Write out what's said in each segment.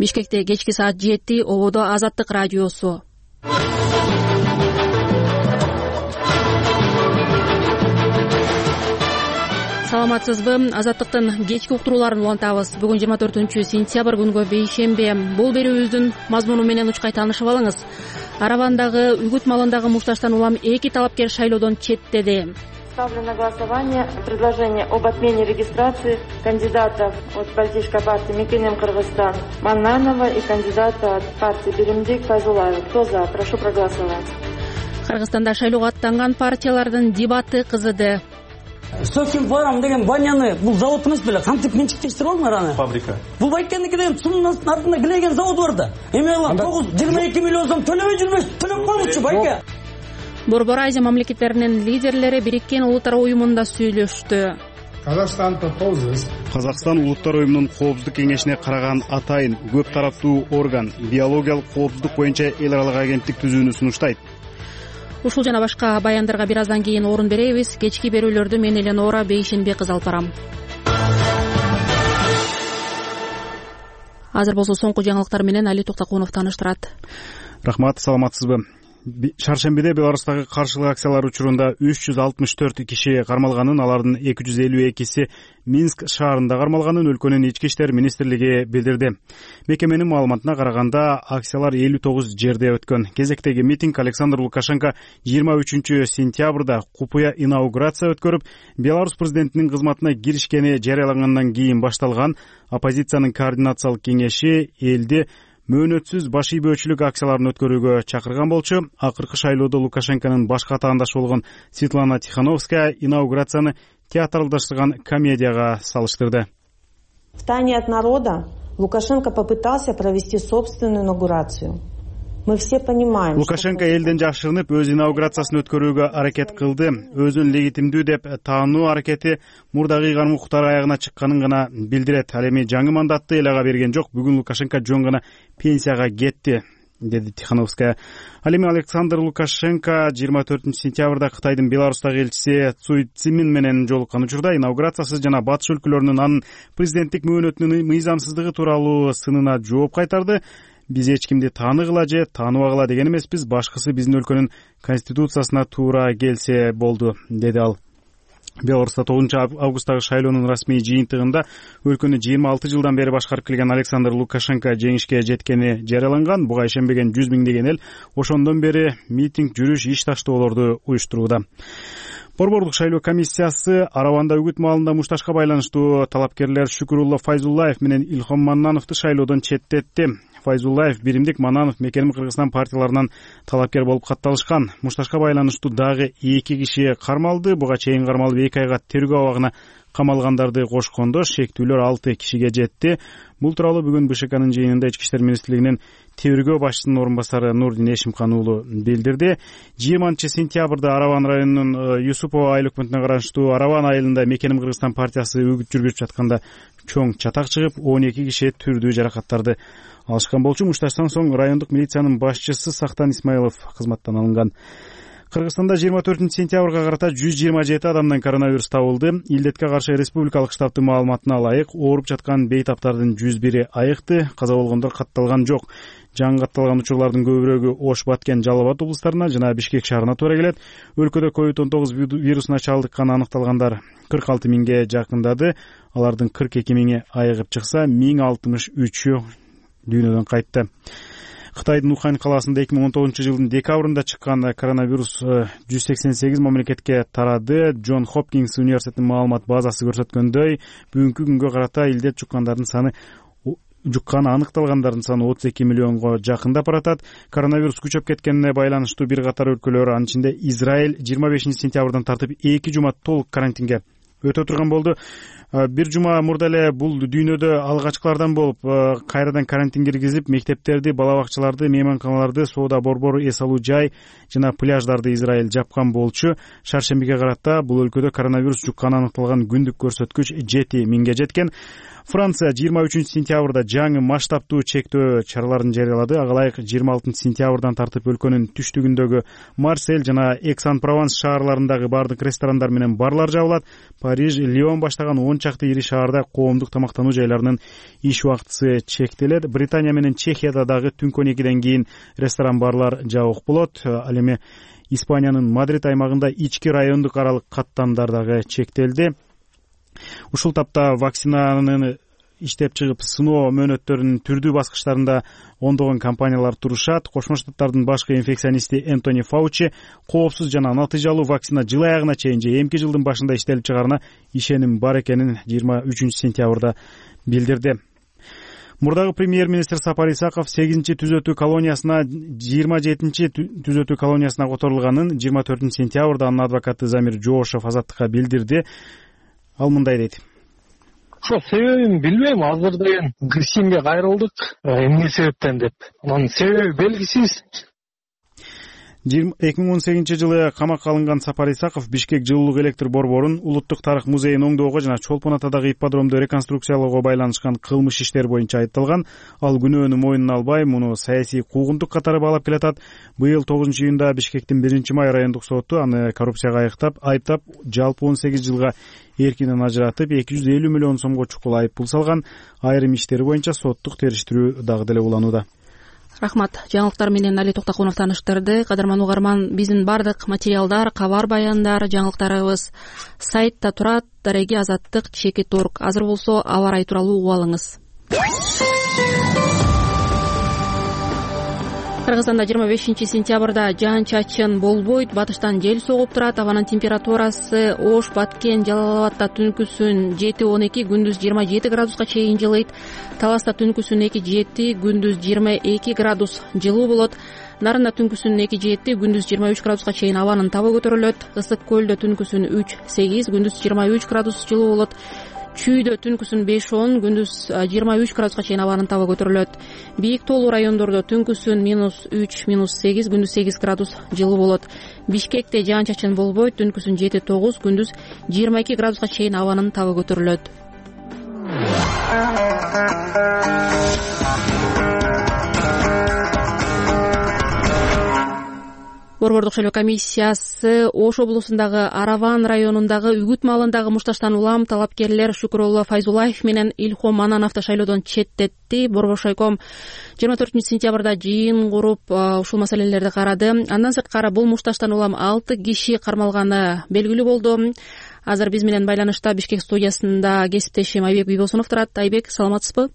Бишкекте кечки саат 7 ободо Азаттык радиосу. Саламатсызбы? Азаттыктын кечки уктурууларын улантабыз. Бүгүн 24-сентябрь күнгө бейшембе. Бул берүүбүздүн мазмуну менен учкай таанышып алыңыз. Аравандагы үгүт малындагы мушташтан улам 2 талапкер шайлоодон четтеди. Ставлю на голосование предложение об отмене регистрации кандидатов от политической партии Мекенем Кыргызстан Маннанова и кандидата от партии Беримдик Файзулаева. Кто за? Прошу проголосовать. Кыргызстанда шайлоого аттанган партиялардын дебаты кызыды. Сокин Фарам деген баняны бул завод эмес беле, кантип менчиктештирип алдыңар аны? Фабрика. Бул айткандыки деген сунун артында килеген завод бар да. Эме алам 22 миллион сом төлөбөй жүрбөш, төлөп коймукчу байке. Борбор Азия мамлекеттеринин лидерлери Бириккен Улуттар уюмунда сүйлөштү. Казакстан Улуттар уюмунун коопсуздук кеңешине караган атайын көп тараптуу орган биологиялык коопсуздук боюнча эл аралык агенттик түзүүнү сунуштайт. Ушул жана башка баяндарга бир аздан кийин орун беребиз. Кечки берүүлөрдү мен Эленора Бейшенбек кыз алып барам. Азыр болсо соңку жаңылыктар менен Али Токтокунов тааныштырат. Рахмат, саламатсызбы? Шаршембиде Беларустагы каршылык акциялар учурунда 364 киши кармалганын, алардын 252си Минск шаарында кармалганын өлкөнүн ички иштер министрлиги билдирди. Мекеменин маалыматына караганда акциялар 59 жерде өткөн. Кезектеги митинг Александр Лукашенко 23-сентябрда купуя инаугурация өткөрүп, Беларусь президентинин кызматына киришкени жарыялангандан кийин башталган. Оппозициянын координациялык кеңеши элди мөөнөтсүз баш ийбөөчүлүк акцияларын өткөрүүгө чакырган болчу. Акыркы шайлоодо Лукашенконун башка атаандашы болгон Светлана Тихановская инаугурацияны театралдаштырган комедияга салыштырды. В тайне от народа Лукашенко попытался провести собственную инаугурацию. Мы все понимаем. Лукашенко элден жашырынып өз инаугурациясын өткөрүүгө аракет кылды. Өзүн легитимдүү деп таануу аракети мурдагы ыйгарым укуктар аягына чыкканын гана билдирет. Ал эми жаңы мандатты эл ага берген жок. Бүгүн Лукашенко жөн гана пенсияга кетти, деди Тихановская. Ал эми Александр Лукашенко 24-сентябрда Кытайдын Беларустагы элчиси Цуй Цзимин менен жолуккан учурда инаугурациясыз жана батыш өлкөлөрүнүн анын президенттик мөөнөтүнүн мыйзамсыздыгы тууралуу сынына жооп кайтарды. Биз эч кимди тааныгыла же тааныбагыла деген эмеспиз, башкысы биздин өлкөнүн конституциясына туура келсе болду, деди ал. Беларуста 9-августтагы шайлоонун расмий жыйынтыгында өлкөнү 26 жылдан бери башкарып келген Александр Лукашенко жеңишке жеткени жарыяланган. Буга ишенбеген 100 миңдеген эл ошондон бери митинг, жүрүш, иш таштоолорду уюштурууда. Борбордук шайлоо комиссиясы Араванда үгүт маалында мушташка байланыштуу талапкерлер Шүкүрулла Файзуллаев менен Илхом Маннановду шайлоодон четтетти. Файзуллаев, Биримдик, Маннанов Мекенем Кыргызстан партияларынан талапкер болуп катталышкан. Мушташка байланыштуу дагы 2 киши кармалды. Буга чейин кармалып 2 айга тергөө абагына камалгандарды кошкондо шектүүлөр 6 кишиге жетти. Бул тууралуу бүгүн БШКнын жыйынында Ички иштер министрлигинин тергөө башчысынын орун басары Нурдин Эшимкан уулу билдирди. 20-сентябрда Араван районунун Юсупова айыл өкмөтүнө караштуу Араван айылында Мекенем Кыргызстан партиясы үгүт жүргүзүп жатканда чоң чатак чыгып, 12 киши түрдүү жаракаттарды алышкан болчу. Мушташтан соң райондук милициянын башчысы Сактан Исмаилов кызматтан алынган. Кыргызстанда 24-сентябрга карата 127 адамдан коронавирус табылды. Илдетке каршы республикалык штабтын маалыматына ылайык, ооруп жаткан бейтаптардын 101 айыкты, каза болгондор катталган жок. Жаңы катталган учурлардын көбүрөөгү Ош, Баткен, Жалал Абад облустарына жана Бишкек шаарына туура келет. Өлкөдө COVID-19 вирусуна чалдыкканы аныкталгандар 46 миңге жакындады. Алардын 42 миңи айыгып чыкса, 1063-ü дүйнөдөн кайтты. Кытайдын Ухань калаасында 2019 жылдын декабрында чыккан коронавирус 188 мамлекетке тарады. Джон Хопкинс университетинин маалымат базасы көрсөткөндөй, бүгүнкү күнгө карата илдет жукканы аныкталгандардын саны 32 миллионго жакындап баратат. Коронавирус күчөп кеткенине байланыштуу бир катар өлкөлөр, анын ичинде Израиль 25-сентябрдан тартып 2 жума толук карантинге өтө турган болду. Бир жума мурда эле бул дүйнөдө алгачкылардан болуп, кайрадан карантин киргизип, мектептерди, бала бакчаларды, мейманканаларды, соода борбор, эс алуу жай жана пляждарды Израиль жапкан болчу. Шаршембиге карата бул өлкөдө коронавирус жукканы аныкталган күндүк көрсөткүч 7 миңге жеткен. Франция 23-сентябрда жаңы масштабтуу чектөө чараларын жарыялады. Ага ылайык 26-сентябрдан тартып өлкөнүн түштүгүндөгү Марсель жана Экс-ан-Прованс шаарларындагы бардык ресторандар менен барлар жабылат. Париж, Лион баштаган 10 чакты ири шаарда коомдук тамактануу жайларынын иш убактысы чектелет. Британия менен Чехияда дагы түнкү 12ден кийин ресторан, барлар жабык болот. Ал эми Испаниянын Мадрид аймагында ички райондук аралык каттамдар дагы чектелди. Ушул тапта вакцинаны иштеп чыгып сыноо мөөнөттөрүнүн түрдүү баскычтарында ондогон компаниялар турушат. Кошмо Штаттардын башкы инфекционисти Энтони Фаучи коопсуз жана натыйжалуу вакцина жыл аягына чейин же эмки жылдын башында иштелип чыгаарына ишеним бар экенин 23 сентябрда билдирди. Мурдагы премьер-министр Сапар Исаков 8-чи түзөтүү колониясына 27-чи түзөтүү колониясына которулганын 24 сентябрда анын адвокаты Замир Жоошев Азаттыкка билдирди. Ал мындай дейт. Ошо себебин билбейм, азыр деген ГСИМге кайрылдык. Эмне себептен деп. Анын себеби белгисиз. 2018 жылы камакка алынган Сапар Исаков Бишкек жылуулук электр борборун, Улуттук тарых музейин оңдоого жана Чолпон Атадагы ипподромду реконструкциялоого байланышкан кылмыш иштер боюнча айыпталган. Ал күнөөнү мойнуна албай, муну саясий куугунтук катары баалап келатат. Быйыл 9-июнда Бишкектин 1-май райондук соту аны коррупцияга айыптап, жалпы 18 жылга эркинен ажыратып, 250 миллион сомго чукул айыппул салган. Айрым иштери боюнча соттук териштирүү дагы деле уланууда. Рахмат. Жаңылыктар менен Али Токтокунов таныштырды. Кадырман угарман, биздин бардык материалдар, кабар баяндар, жаңылыктарыбыз сайтта турат. Дареги Азаттык /Орг. Азыр болсо аба ырайы тууралуу угуп алыңыз. Кыргызстанда 25 сентябрда жаан-чачын болбойт, батыштан жел согуп турат. Абанын температурасы Ош, Баткен, Жалал-Абадта түнкүсүн 7-12, күндүз 27 градуска чейин жылыйт. Таласта түнкүсүн 2-7, күндүз 22 градус жылуу болот. Нарында түнкүсүн 2-7, күндүз 23 градуска чейин абанын табы көтөрүлөт. Ысык көлдө түнкүсүн 3-8, күндүз 23 градус жылуу болот. Чүйдө түнкүсүн 5-10, күндүз 23 градуска чейин абанын табы көтөрүлөт. Бийик тоолуу райондордо түнкүсүн -3, -8, күндүз 8 градус жылуу болот. Бишкекте жаан-чачын болбойт, түнкүсүн 7-9, күндүз 22 градуска чейин абанын табы көтөрүлөт. Борбордук шайлоо комиссиясы Ош облусундагы Араван районундагы Үгүт малындагы мушташтан улам талапкерлер Шукурулла Файзулаев менен Илхом Манановду шайлоодон четтетти. Борбор шайком 24 сентябрда жыйын куруп ушул маселелерди карады. Андан сырткары бул мушташтан улам 6 киши кармалганы белгилүү болду. Азыр биз менен байланышта Бишкек студиясында кесиптешим Айбек Бийбосунов турат. Айбек, саламатсызбы?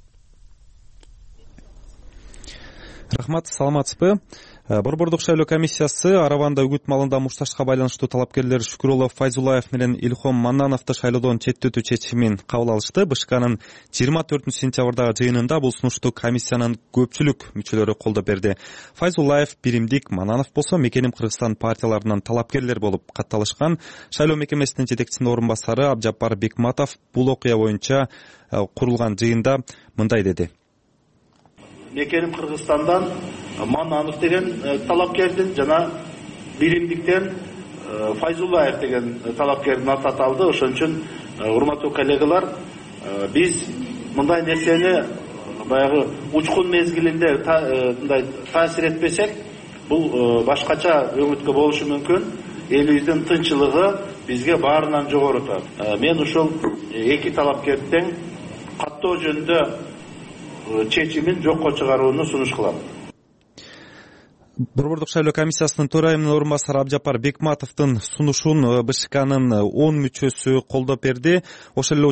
Рахмат, саламатсызбы? Борбордук шайлоо комиссиясы Араванда үгүт малында мушташка байланыштуу талапкерлер Шукурулла Файзулаев менен Илхом Маннановду шайлоодон четтетүү чечимин кабыл алышты. БШКнын 24 сентябрдагы жыйынында бул сунушту комиссиянын көпчүлүк мүчөлөрү колдоп берди. Файзулаев, Биримдик, Мананов болсо Мекеним Кыргызстан партияларынан талапкерлер болуп катталышкан. Шайлоо мекемесинин жетекчисинин орун басары Абжапар Бекматов бул окуя боюнча курулган жыйында мындай деди. Мекеним Кыргызстандан Мананов деген талапкердин жана Биримдиктен Файзулаев деген талапкердин аты аталды. Ошон үчүн урматтуу коллегалар, биз мындай нерсени баягы учкун мезгилинде мындай таасир этпесек, бул башкача өңүткө болушу мүмкүн. Элибиздин тынччылыгы бизге баарынан жогору турат. Мен ушул эки талапкердин каттоо жөнүндө чечимин жокко чыгарууну сунуш кылам. Борбордук шайлоо комиссиясынын төрайымынын орун басары Абжапар Бекматовдун сунушун БШКнын 10 мүчөсү колдоп берди. Ошол эле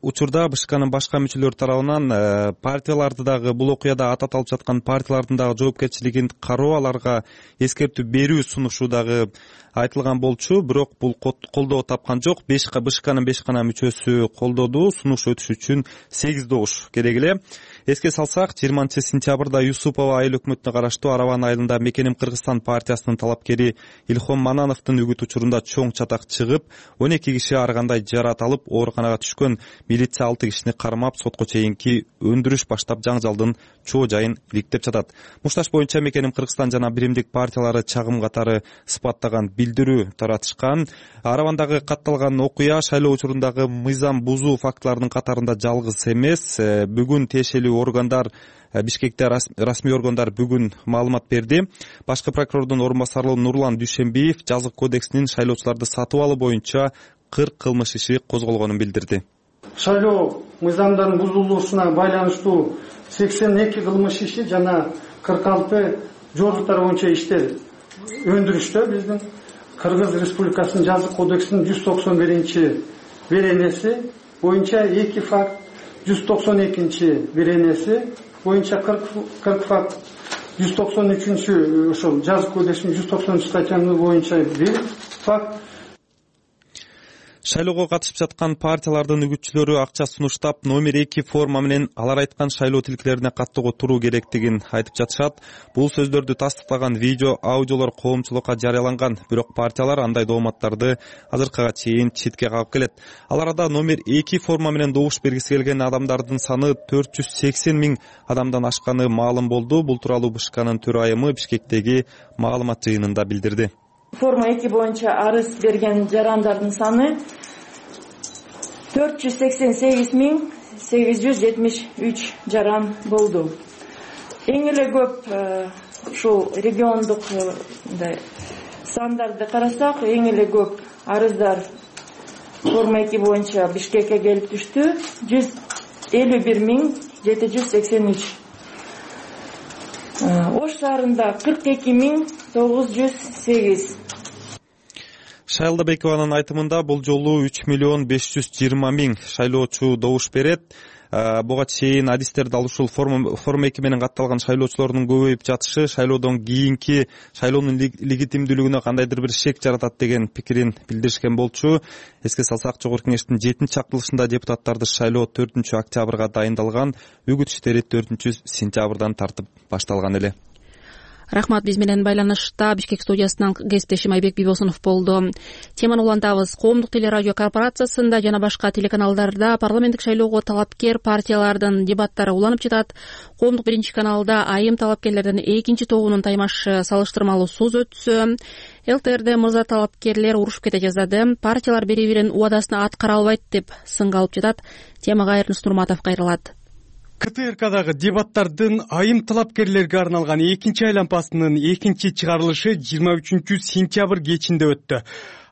учурда БШКнын башка мүчөлөрү тарабынан партияларды дагы бул окуяда аты аталып жаткан партиялардын дагы жоопкерчилигин кароо, аларга эскертүү берүү сунушу дагы айтылган болчу, бирок бул колдоо тапкан жок. БШКнын 5 гана мүчөсү колдоду. Сунуш өтүш үчүн 8 добуш керек эле. Эске салсак, 20 сентябрда Юсупова айыл өкмөтүнө караштуу Араван айылында Мекеним Кыргызстан партиясынын талапкери Илхом Манановдун үгүт учурунда чоң чатак чыгып, 12 киши ар кандай жарат алып, ооруканага түшкөн. Милиция 6 кишини кармап, сотко чейинки өндүрүш баштап, жаңжалдын чоо жайын иликтеп жатат. Мушташ боюнча Мекеним Кыргызстан жана Биримдик партиялары чагым катары сыпаттаган билдирүү таратышкан. Аравандагы катталган окуя шайлоо учурундагы мыйзам бузуу фактыларынын катарында жалгыз эмес. Бүгүн тиешелүү органдар Бишкекте расмий органдар бүгүн маалымат берди. Башкы прокурордун орун басары Нурлан Дүйшенбиев жазык кодексинин шайлоочуларды сатып алуу боюнча 40 кылмыш иши козголгонун билдирди. Шайлоо мыйзамдарын бузулушуна байланыштуу 82 кылмыш иши жана 46 жоруктар боюнча иштер өндүрүштө биздин Кыргыз Республикасынын жазык кодексинин 191 беренеси боюнча 2 факт, 192 беренеси боюнча 40 факт, 193 ошол жазык кодексинин 193 статьясы боюнча 1 факт. Шайлоого катышып жаткан партиялардын үгүтчүлөрү акча сунуштап номер 2 форма менен алар айткан шайлоо тилкелерине каттоого туруу керектигин айтып жатышат. Бул сөздөрдү тастыктаган видео, аудиолор коомчулукка жарыяланган, бирок партиялар андай дооматтарды азыркыга чейин четке кагып келет. Ал арада номер 2 форма менен добуш бергиси келген адамдардын саны 480 000 адамдан ашканы маалым болду. Бул тууралуу БШКнын төрайымы Бишкектеги маалымат жыйынында билдирди. Форма 2 боюнча арыз берген жарандардын саны 488 873 жаран болду. Эң эле көп ушул региондук сандарды карасак, эң эле көп арыздар форма 2 боюнча Бишкекке келип түштү. 151 783. Ош шаарында 42 908. Шайлдабекованын айтымында бул жолу 3 520 000 шайлоочу добуш берет. Буга чейин адистерди ал ушул форма 2 менен катталган шайлоочулордун көбөйүп жатышы шайлоодон кийинки шайлоонун легитимдүүлүгүнө кандайдыр бир шек жаратат деген пикирин билдиришкен болчу. Эске салсак, Жогорку Кеңештин 7-чактылышында депутаттарды шайлоо 4-октябрга дайындалган, үгүт иштери 4-сентябрдан тартып башталган эле. Рахмат. Биз менен байланышта Бишкек студиясынан кесиптешим Айбек Бибосунов болду. Теманы улантабыз. Коомдук телерадио корпорациясында жана башка телеканалдарда парламенттик шайлоого талапкер партиялардын дебаттары уланып жатат. Коомдук 1-каналда айым талапкерлердин 2 тобунун таймаш салыштырмалуу сөз өтсө, ЛТРде мырза талапкерлер урушуп кете жаздады. Партиялар бири-биринин убадасын аткара албайт деп сынга алып жатат. Темага Эрнис Нурматов кайрылат. КТРКдагы дебаттардын айым талапкерлерге арналган 2-айлампасынын 2-чыгарылышы 23-сентябрь кечинде өттү.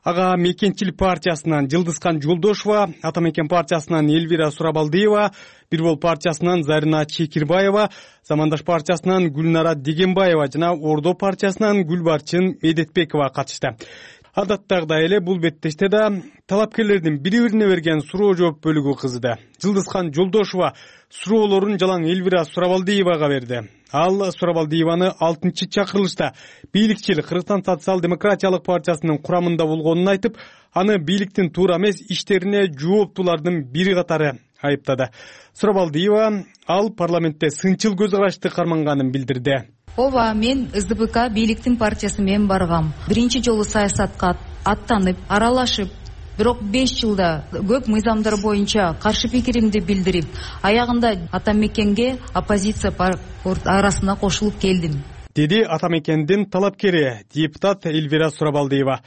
Ага Мекенчил партиясынан Жылдызкан Жолдошова, Ата Мекен партиясынан Элвира Сурабалдиева, Бир Бол партиясынан Зарина Чекирбаева, Замандаш партиясынан Гүлнара Дегенбаева жана Ордо партиясынан Гүлбарчын Медетбекова катышты. Адаттагыдай эле бул беттеште да талапкерлердин бири-бирине берген суроо жооп бөлүгү кызды. Жылдызкан Жолдошова суроолорун жалаң Элвира Сурабалдиевага берди. Ал Сурабалдиеваны 6-чакырылышта бийликчил Кыргызстан социал-демократиялык партиясынын курамында болгонун айтып, аны бийликтин туура эмес иштерине жооптуулардын бири катары айыптады. Сурабалдиева ал парламентте сынчыл көз карашты карманганын билдирди. Ооба, мен СДПК бийликтин партиясы менен баргам. Биринчи жолу саясатка аттанып, аралашып, бирок 5 жылда көп мыйзамдар боюнча каршы пикиримди билдирип, аягында Ата Мекенге оппозиция арасына кошулуп келдим. Деди Ата Мекендин талапкери депутат Элвира Сурабалдиева.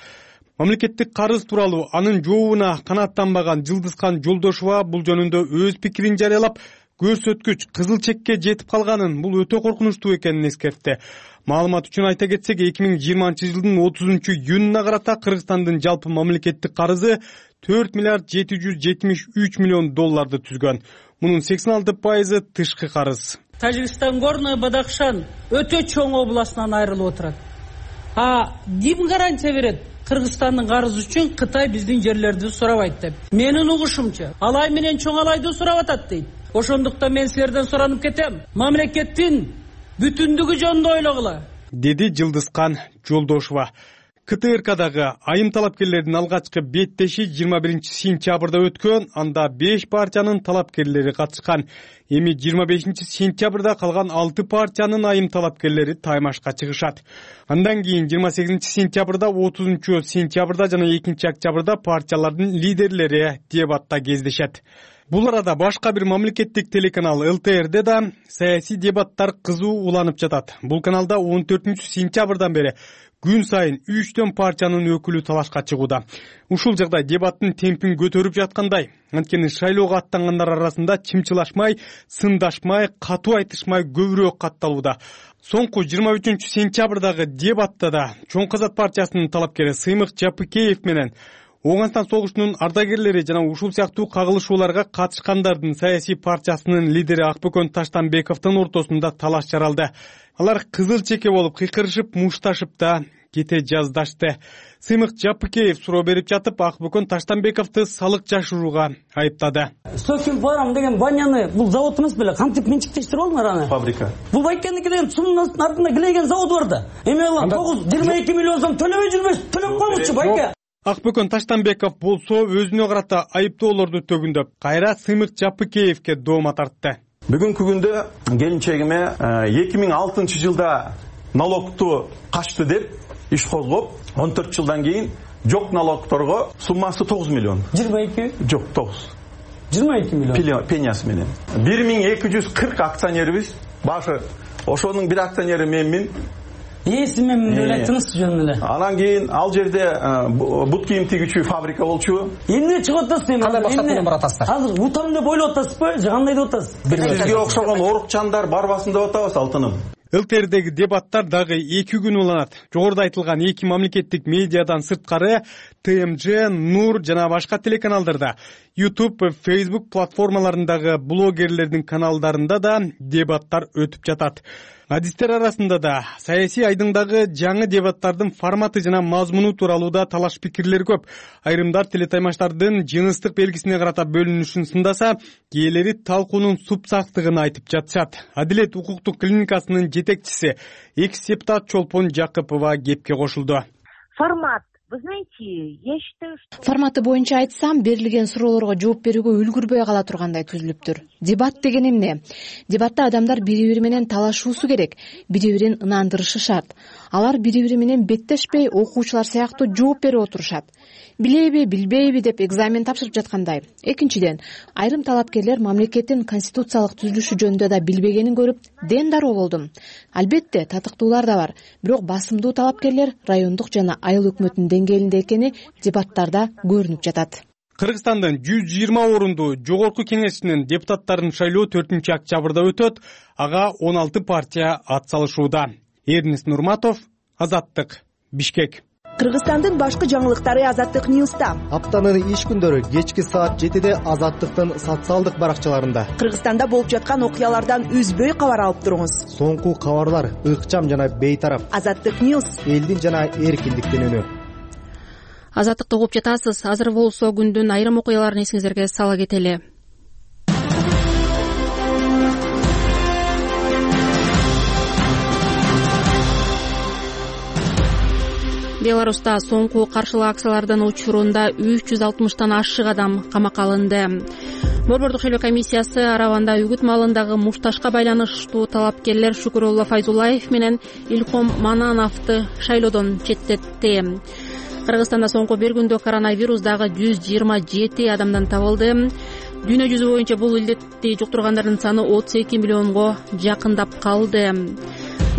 Мамлекеттик карыз тууралуу анын жообуна канааттанбаган Жылдызкан Жолдошова бул жөнүндө өз пикирин жарыялап, көрсөткүч кызыл чекке жетип калганын, бул өтө коркунучтуу экенин эскертти. Маалымат үчүн айта кетсек, 2020 жылдын 30-июнуна карата Кыргызстандын жалпы мамлекеттик карызы 4 миллиард 773 миллион долларды түзгөн. Мунун 86% тышкы карыз. Тажикстан Горный Бадахшан өтө чоң областынан айрылып отурат. Ким гарантия берет? Кыргызстандын карызы үчүн Кытай биздин жерлерди сурабайт деп. Менин угушумча, Алай менен Чоң Алайды сурап атат дейт. Ошондуктан мен силерден суранып кетем. Мамлекеттин бүтүндүгү жөнүндө ойлогула, деди Жылдызкан Жолдошова. КТРКдагы айым талапкерлердин алгачкы беттеши 21-сентябрда өткөн, анда 5 партиянын талапкерлери катышкан. Эми 25-сентябрда калган 6 партиянын айым талапкерлери таймашка чыгышат. Андан кийин 28-сентябрда, 30-сентябрда жана 2-октябрда партиялардын лидерлери дебатта кездешет. Бул арада башка бир мамлекеттик телеканал ЛТРде да саясий дебаттар кызуу уланып жатат. Бул каналда 14-сентябрдан бери күн сайын 3 партиянын өкүлү талашка чыгууда. Ушул жагдай дебаттын темпин көтөрүп жаткандай. Анткени шайлоого аттангандар арасында чымчылашмай, сындашмай, катуу айтышмай көбүрөөк катталууда. Соңку 23-сентябрдагы дебатта да Чоң Казак партиясынын талапкери Сыймык Жапыкеев менен Оңгостан согушунун ардагерлери жана ушул сыяктуу кагылышууларга катышкандардын саясий партиясынын лидери Акбөкөн Таштанбековдун ортосунда талаш жаралды. Алар кызыл чеке болуп кыйкырышып, мушташып да кете жаздашты. Сыймык Жапыкеев суроо берип жатып, Акбөкөн Таштанбековду салык жашырууга айыптады. Сокин Фарм деген баняны бул завод эмес беле, кантип менчиктештирип алдыңар аны? Фабрика. Бул Байкендики деген сумдун артында килеген завод бар да. Эме алам 22 миллион сом төлөбөй жүрбөйсүз, төлөп коймузчу Байке. Акбөкөн Таштанбеков болсо өзүнө карата айыптоолорду төгүндөп, кайра Сыймык Жапыкеевке доома тартты. Бүгүнкү күндө келинчегиме 2006 жылда налогту качты деп иш козгоп, 14 жылдан кийин жок налогторго суммасы 9 миллион. 22? Жок, 9. 22 миллион. Пенясы менен. 1240 акционерибиз. Башы ошонун бир акционери менмин. Мен деле тыныс жөн эле. Анан кийин ал жерде бут кийим тигүүчү фабрика болчу. Эмне чыгып атасыз эми? Кандай максат менен баратасыздар? Азыр утам деп ойлоп атасызбы? Же кандай деп атасыз? Сизге окшогон орукчандар барбасын деп атабыз, Алтыным. ЛТРдеги дебаттар дагы 2 күн уланат. Жогоруда айтылган 2 мамлекеттик медиадан сырткары ТМЖ, Нур жана башка телеканалдарда, YouTube, Facebook платформаларындагы блогерлердин каналдарында да дебаттар өтүп жатат. Адистер арасында да саясий айдыңдагы жаңы дебаттардын форматы жана мазмуну тууралуу да талаш пикирлер көп. Айрымдар телетаймаштардын жыныстык белгисине карата бөлүнүшүн сындаса, кээрлери талкуунун супсактыгын айтып жатышат. Адилет укуктук клиникасынын жетекчиси экс-депутат Чолпон Жакыпова кепке кошулду. Формат. Вы знаете, я считаю, что... Форматы боюнча айтсам, берилген суроолорго жооп берүүгө үлгүрбөй кала тургандай түзүлүптүр. Дебат деген эмне? Дебатта адамдар бири-бири менен талашуусу керек, бири-бирин ынандырышы шарт. Алар бири-бири менен беттешпей, окуучулар сыяктуу жооп берип отурушат. Билеби, билбейби деп экзамен тапшырып жаткандай. Экинчиден, айрым талапкерлер мамлекеттин конституциялык түзүлүшү жөнүндө да билбегенин көрүп, ден дароо болдум. Албетте, татыктуулар да бар, бирок басымдуу талапкерлер райондук жана айыл өкмөтүнүн деңгээлинде экени дебаттарда көрүнүп жатат. Кыргызстандын 120 орундуу жогорку кеңешинин депутаттарын шайлоо 4-октябрда өтөт. Ага 16 партия ат салышууда. Эрнис Нурматов, Азаттык, Бишкек. Кыргызстандын башкы жаңылыктары Азаттык Ньюста. Аптанын иш күндөрү кечки саат 7-де Азаттыктын социалдык баракчаларында. Кыргызстанда болуп жаткан окуялардан үзбөй кабар алып туруңуз. Соңку кабарлар ыкчам жана бейтарап. Азаттык Ньюс. Элдин жана эркиндиктин үнү. Азаттыкты угуп жатасыз. Азыр болсо күндүн айрым окуяларын эсиңиздерге сала кетели. Беларуста соңку каршылык акциялардын учурунда 360тан ашык адам камакка алынды. Борбордук шайлоо комиссиясы Арабанда үгүт малындагы мушташка байланыштуу талапкерлер Шүкүрулла Файзулаев менен Илхом Манановду шайлоодон четтетти. Кыргызстанда соңку бир күндө коронавирус дагы 127 адамдан табылды. Дүйнө жүзү боюнча бул илдетти жуктургандардын саны 32 миллионго жакындап калды.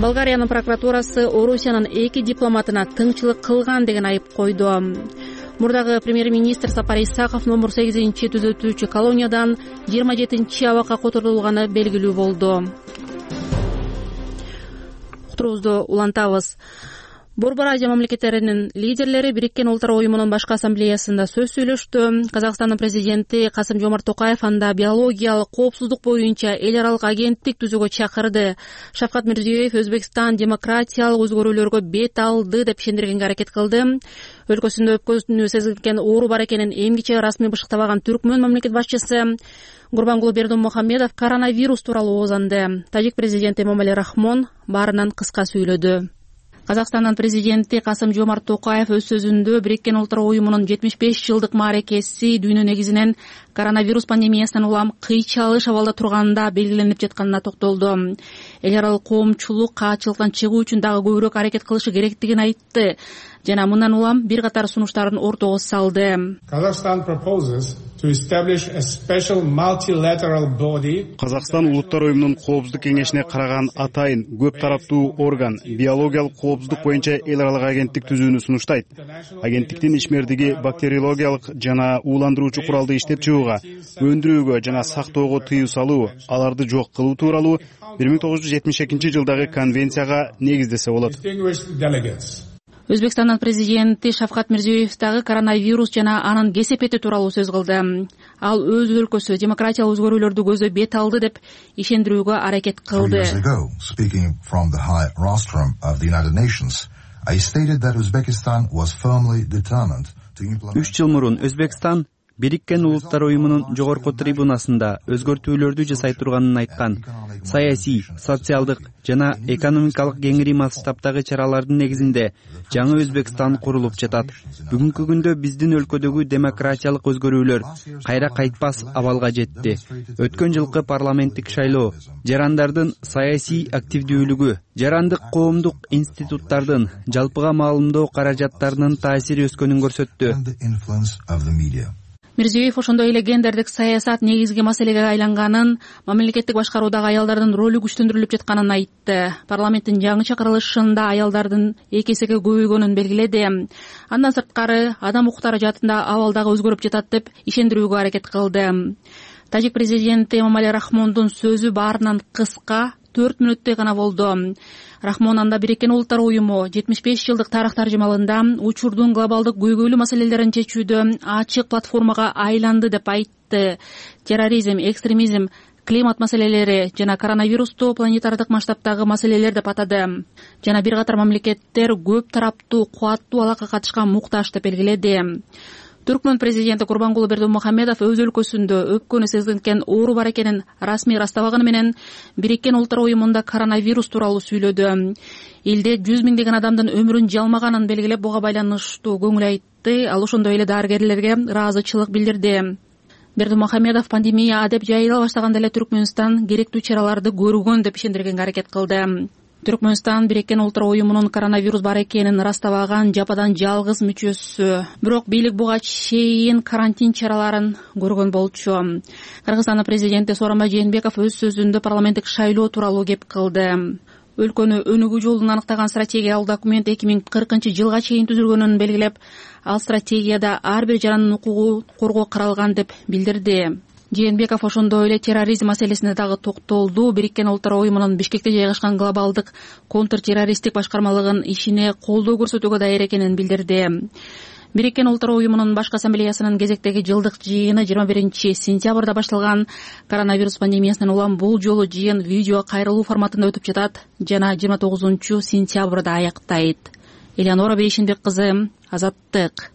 Болгариянын прокуратурасы Орусиянын 2 дипломатына тыңчылык кылган деген айып койду. Мурдагы премьер-министр Сапар Исаков номер 8 түзөтүүчү колониядан 27 абакка которулганы белгилүү болду. Уктуруубузду улантабыз. Борбор Азия мамлекеттеринин лидерлери Бириккен Улуттар уюмунун башкы ассамблеясында сөз сүйлөштү. Казакстандын президенти Касым-Жомарт Токаев анда биологиялык коопсуздук боюнча эл аралык агенттик түзүүгө чакырды. Шавкат Мирзиёев Өзбекстан демократиялык өзгөрүүлөргө бет алды деп ишендиргенге аракет кылды. Өлкөсүндө өпкөнү сезилген оору бар экенин эмгиче расмий бышыктабаган Түркмөн мамлекет башчысы Гурбангулы Бердимухамедов коронавирус тууралуу озанды. Тажик президенти Эмомали Рахмон баарынан кыска сүйлөдү. Казакстандын президенти Касым-Жомарт Токаев өз сөзүндө Бириккен Улуттар уюмунун 75 жылдык мааракеси дүйнө негизинен коронавирус пандемиясынан улам кыйчалыш абалда турганда белгиленип жатканына токтолду. Эл аралык коомчулук каачылыктан чыгуу үчүн дагы көбүрөөк аракет кылышы керектигин айтты. жана мындан улам бир катар сунуштарын ортого салды. Казакстан Улуттар уюмунун коопсуздук кеңешине караган атайын көп тараптуу орган биологиялык коопсуздук боюнча эл аралык агенттик түзүүнү сунуштайт. Агенттиктин ишмердиги бактериологиялык жана ууландыруучу куралды иштеп чыгууга, өндүрүүгө жана сактоого тыюу салуу, аларды жок кылуу тууралуу 1972-жылдагы конвенцияга негиздесе болот. Өзбекстандын президенти Шавкат Мирзиёев дагы коронавирус жана анын кесепети тууралуу сөз кылды. Ал өз өлкөсү демократиялык өзгөрүүлөрдү көздөй бет алды деп ишендирүүгө аракет кылды. Үч жыл мурун Өзбекстан Бириккен Улуттар уюмунун жогорку трибунасында өзгөртүүлөрдү жасай турганын айткан. Саясий, социалдык жана экономикалык кеңири масштабтагы чаралардын негизинде жаңы Өзбекстан курулуп жатат. Бүгүнкү күндө биздин өлкөдөгү демократиялык өзгөрүүлөр кайра кайтпас абалга жетти. Өткөн жылкы парламенттик шайлоо, жарандардын саясий активдүүлүгү, жарандык коомдук институттардын жалпыга маалымдоо каражаттарынын таасири өскөнүн көрсөттү. Мирзиёев ошондой эле гендердик саясат негизги маселеге айланганын, мамлекеттик башкаруудагы аялдардын ролу күчтөндүрүлүп жатканын айтты. Парламенттин жаңы чакырылышында аялдардын 2 эсеге көбөйгөнүн белгиледи. Андан сырткары адам укуктары жаатында абал дагы өзгөрүп жатат деп ишендирүүгө аракет кылды. Тажик президенти Эмомали Рахмондун сөзү баарынан кыска, 4 мүнөттөй гана болду. Рахмон анда Бириккен Улуттар уюму 75 жылдык тарых таржымалында учурдун глобалдык көйгөйлүү маселелерин чечүүдө ачык платформага айланды деп айтты. Терроризм, экстремизм, климат маселелери жана коронавирусту планетардык масштабтагы маселелер деп атады. Жана бир катар мамлекеттер көп тараптуу, кубаттуу алакка катышкан муктаж деп белгиледи. Түркмөн президенти Курбангулы Бердимухамедов өз өлкөсүндө өпкөнү сезгенкен оору бар экенин расмий ырастабаганы менен Бириккен Улуттар уюмунда коронавирус тууралуу сүйлөдү. Элде 100 миңдеген адамдын өмүрүн жалмаганын белгилеп, буга байланыштуу көңүл айтты. Ал ошондой эле дарыгерлерге ыраазычылык билдирди. Бердимухамедов пандемия деп жайыла баштаганда эле Түркмөнстан керектүү чараларды көргөн деп ишендиргенге аракет кылды. Түркмөнстан Бириккен Улуттар уюмунун коронавирус бар экенин ырастабаган жападан жалгыз мүчөсү. Бирок бийлик буга чейин карантин чараларын көргөн болчу. Кыргызстандын президенти Сооронбай Жээнбеков өз сөзүндө парламенттик шайлоо тууралуу кеп кылды. Өлкөнү өнүгүү жолун аныктаган стратегиялык документ 2040-жылга чейин түзүлгөнүн белгилеп, ал стратегияда ар бир жарандын укугу коргоо каралган деп билдирди. Жээнбеков ошондой эле терроризм маселесине дагы токтолду. Бириккен Улуттар уюмунун Бишкекте жайгашкан глобалдык контртеррористтик башкармалыгын ишине колдоо көрсөтүүгө даяр экенин билдирди. Бириккен Улуттар уюмунун башкы ассамблеясынын кезектеги жылдык жыйыны 21-сентябрда башталган. Коронавирус пандемиясынан улам бул жолу жыйын видео кайрылуу форматында өтүп жатат жана 29-сентябрда аяктайт. Элеонора Бейшенбек кызы, Азаттык.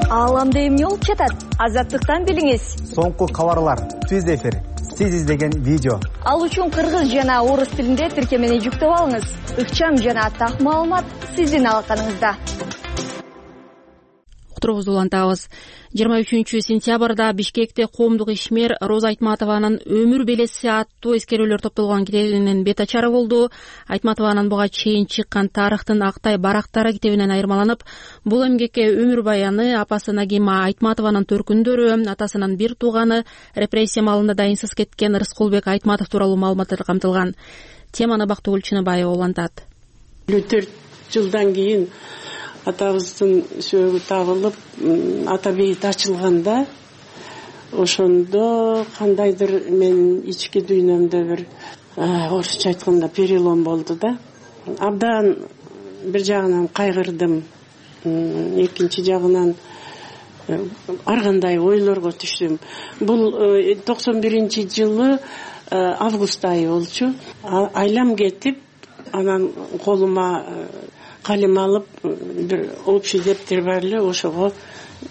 Ааламда эмне болуп жатат? Азаттыктан билиңиз. Соңку кабарлар, түз эфир, сиз издеген видео. Ал үчүн кыргыз жана орус тилинде тиркемени жүктөп алыңыз. Ыкчам жана так маалымат сиздин алаканыңызда. Уктуруубузду улантабыз. 23-сентябрда Бишкекте коомдук ишмер Роза Айтматованын өмүр белеси аттуу эскерүүлөр топтолгон китебинин бет ачары болду. Айтматованын буга чейин чыккан тарыхтын актай барактары китебинен айырмаланып, бул эмгекке өмүр баяны, апасы Нагима Айтматованын төркүндөрү, атасынын бир тууганы, репрессия маалында дайынсыз кеткен Рыскулбек Айтматов тууралуу маалыматтар камтылган. Теманы Бактыгүл Чыныбаева улантат. 4 жылдан кийин атабыздын сөөгү табылып, ата бейит ачылганда, ошондо кандайдыр мен ички дүйнөмдө бир орусча айтканда перелом болду да. Абдан бир жагынан кайгырдым, экинчи жагынан ар кандай ойлорго түштүм. Бул 91-жылы август айы болчу. Айлам кетип, анан колума калем алып, бир общий дептер бар эле, ошого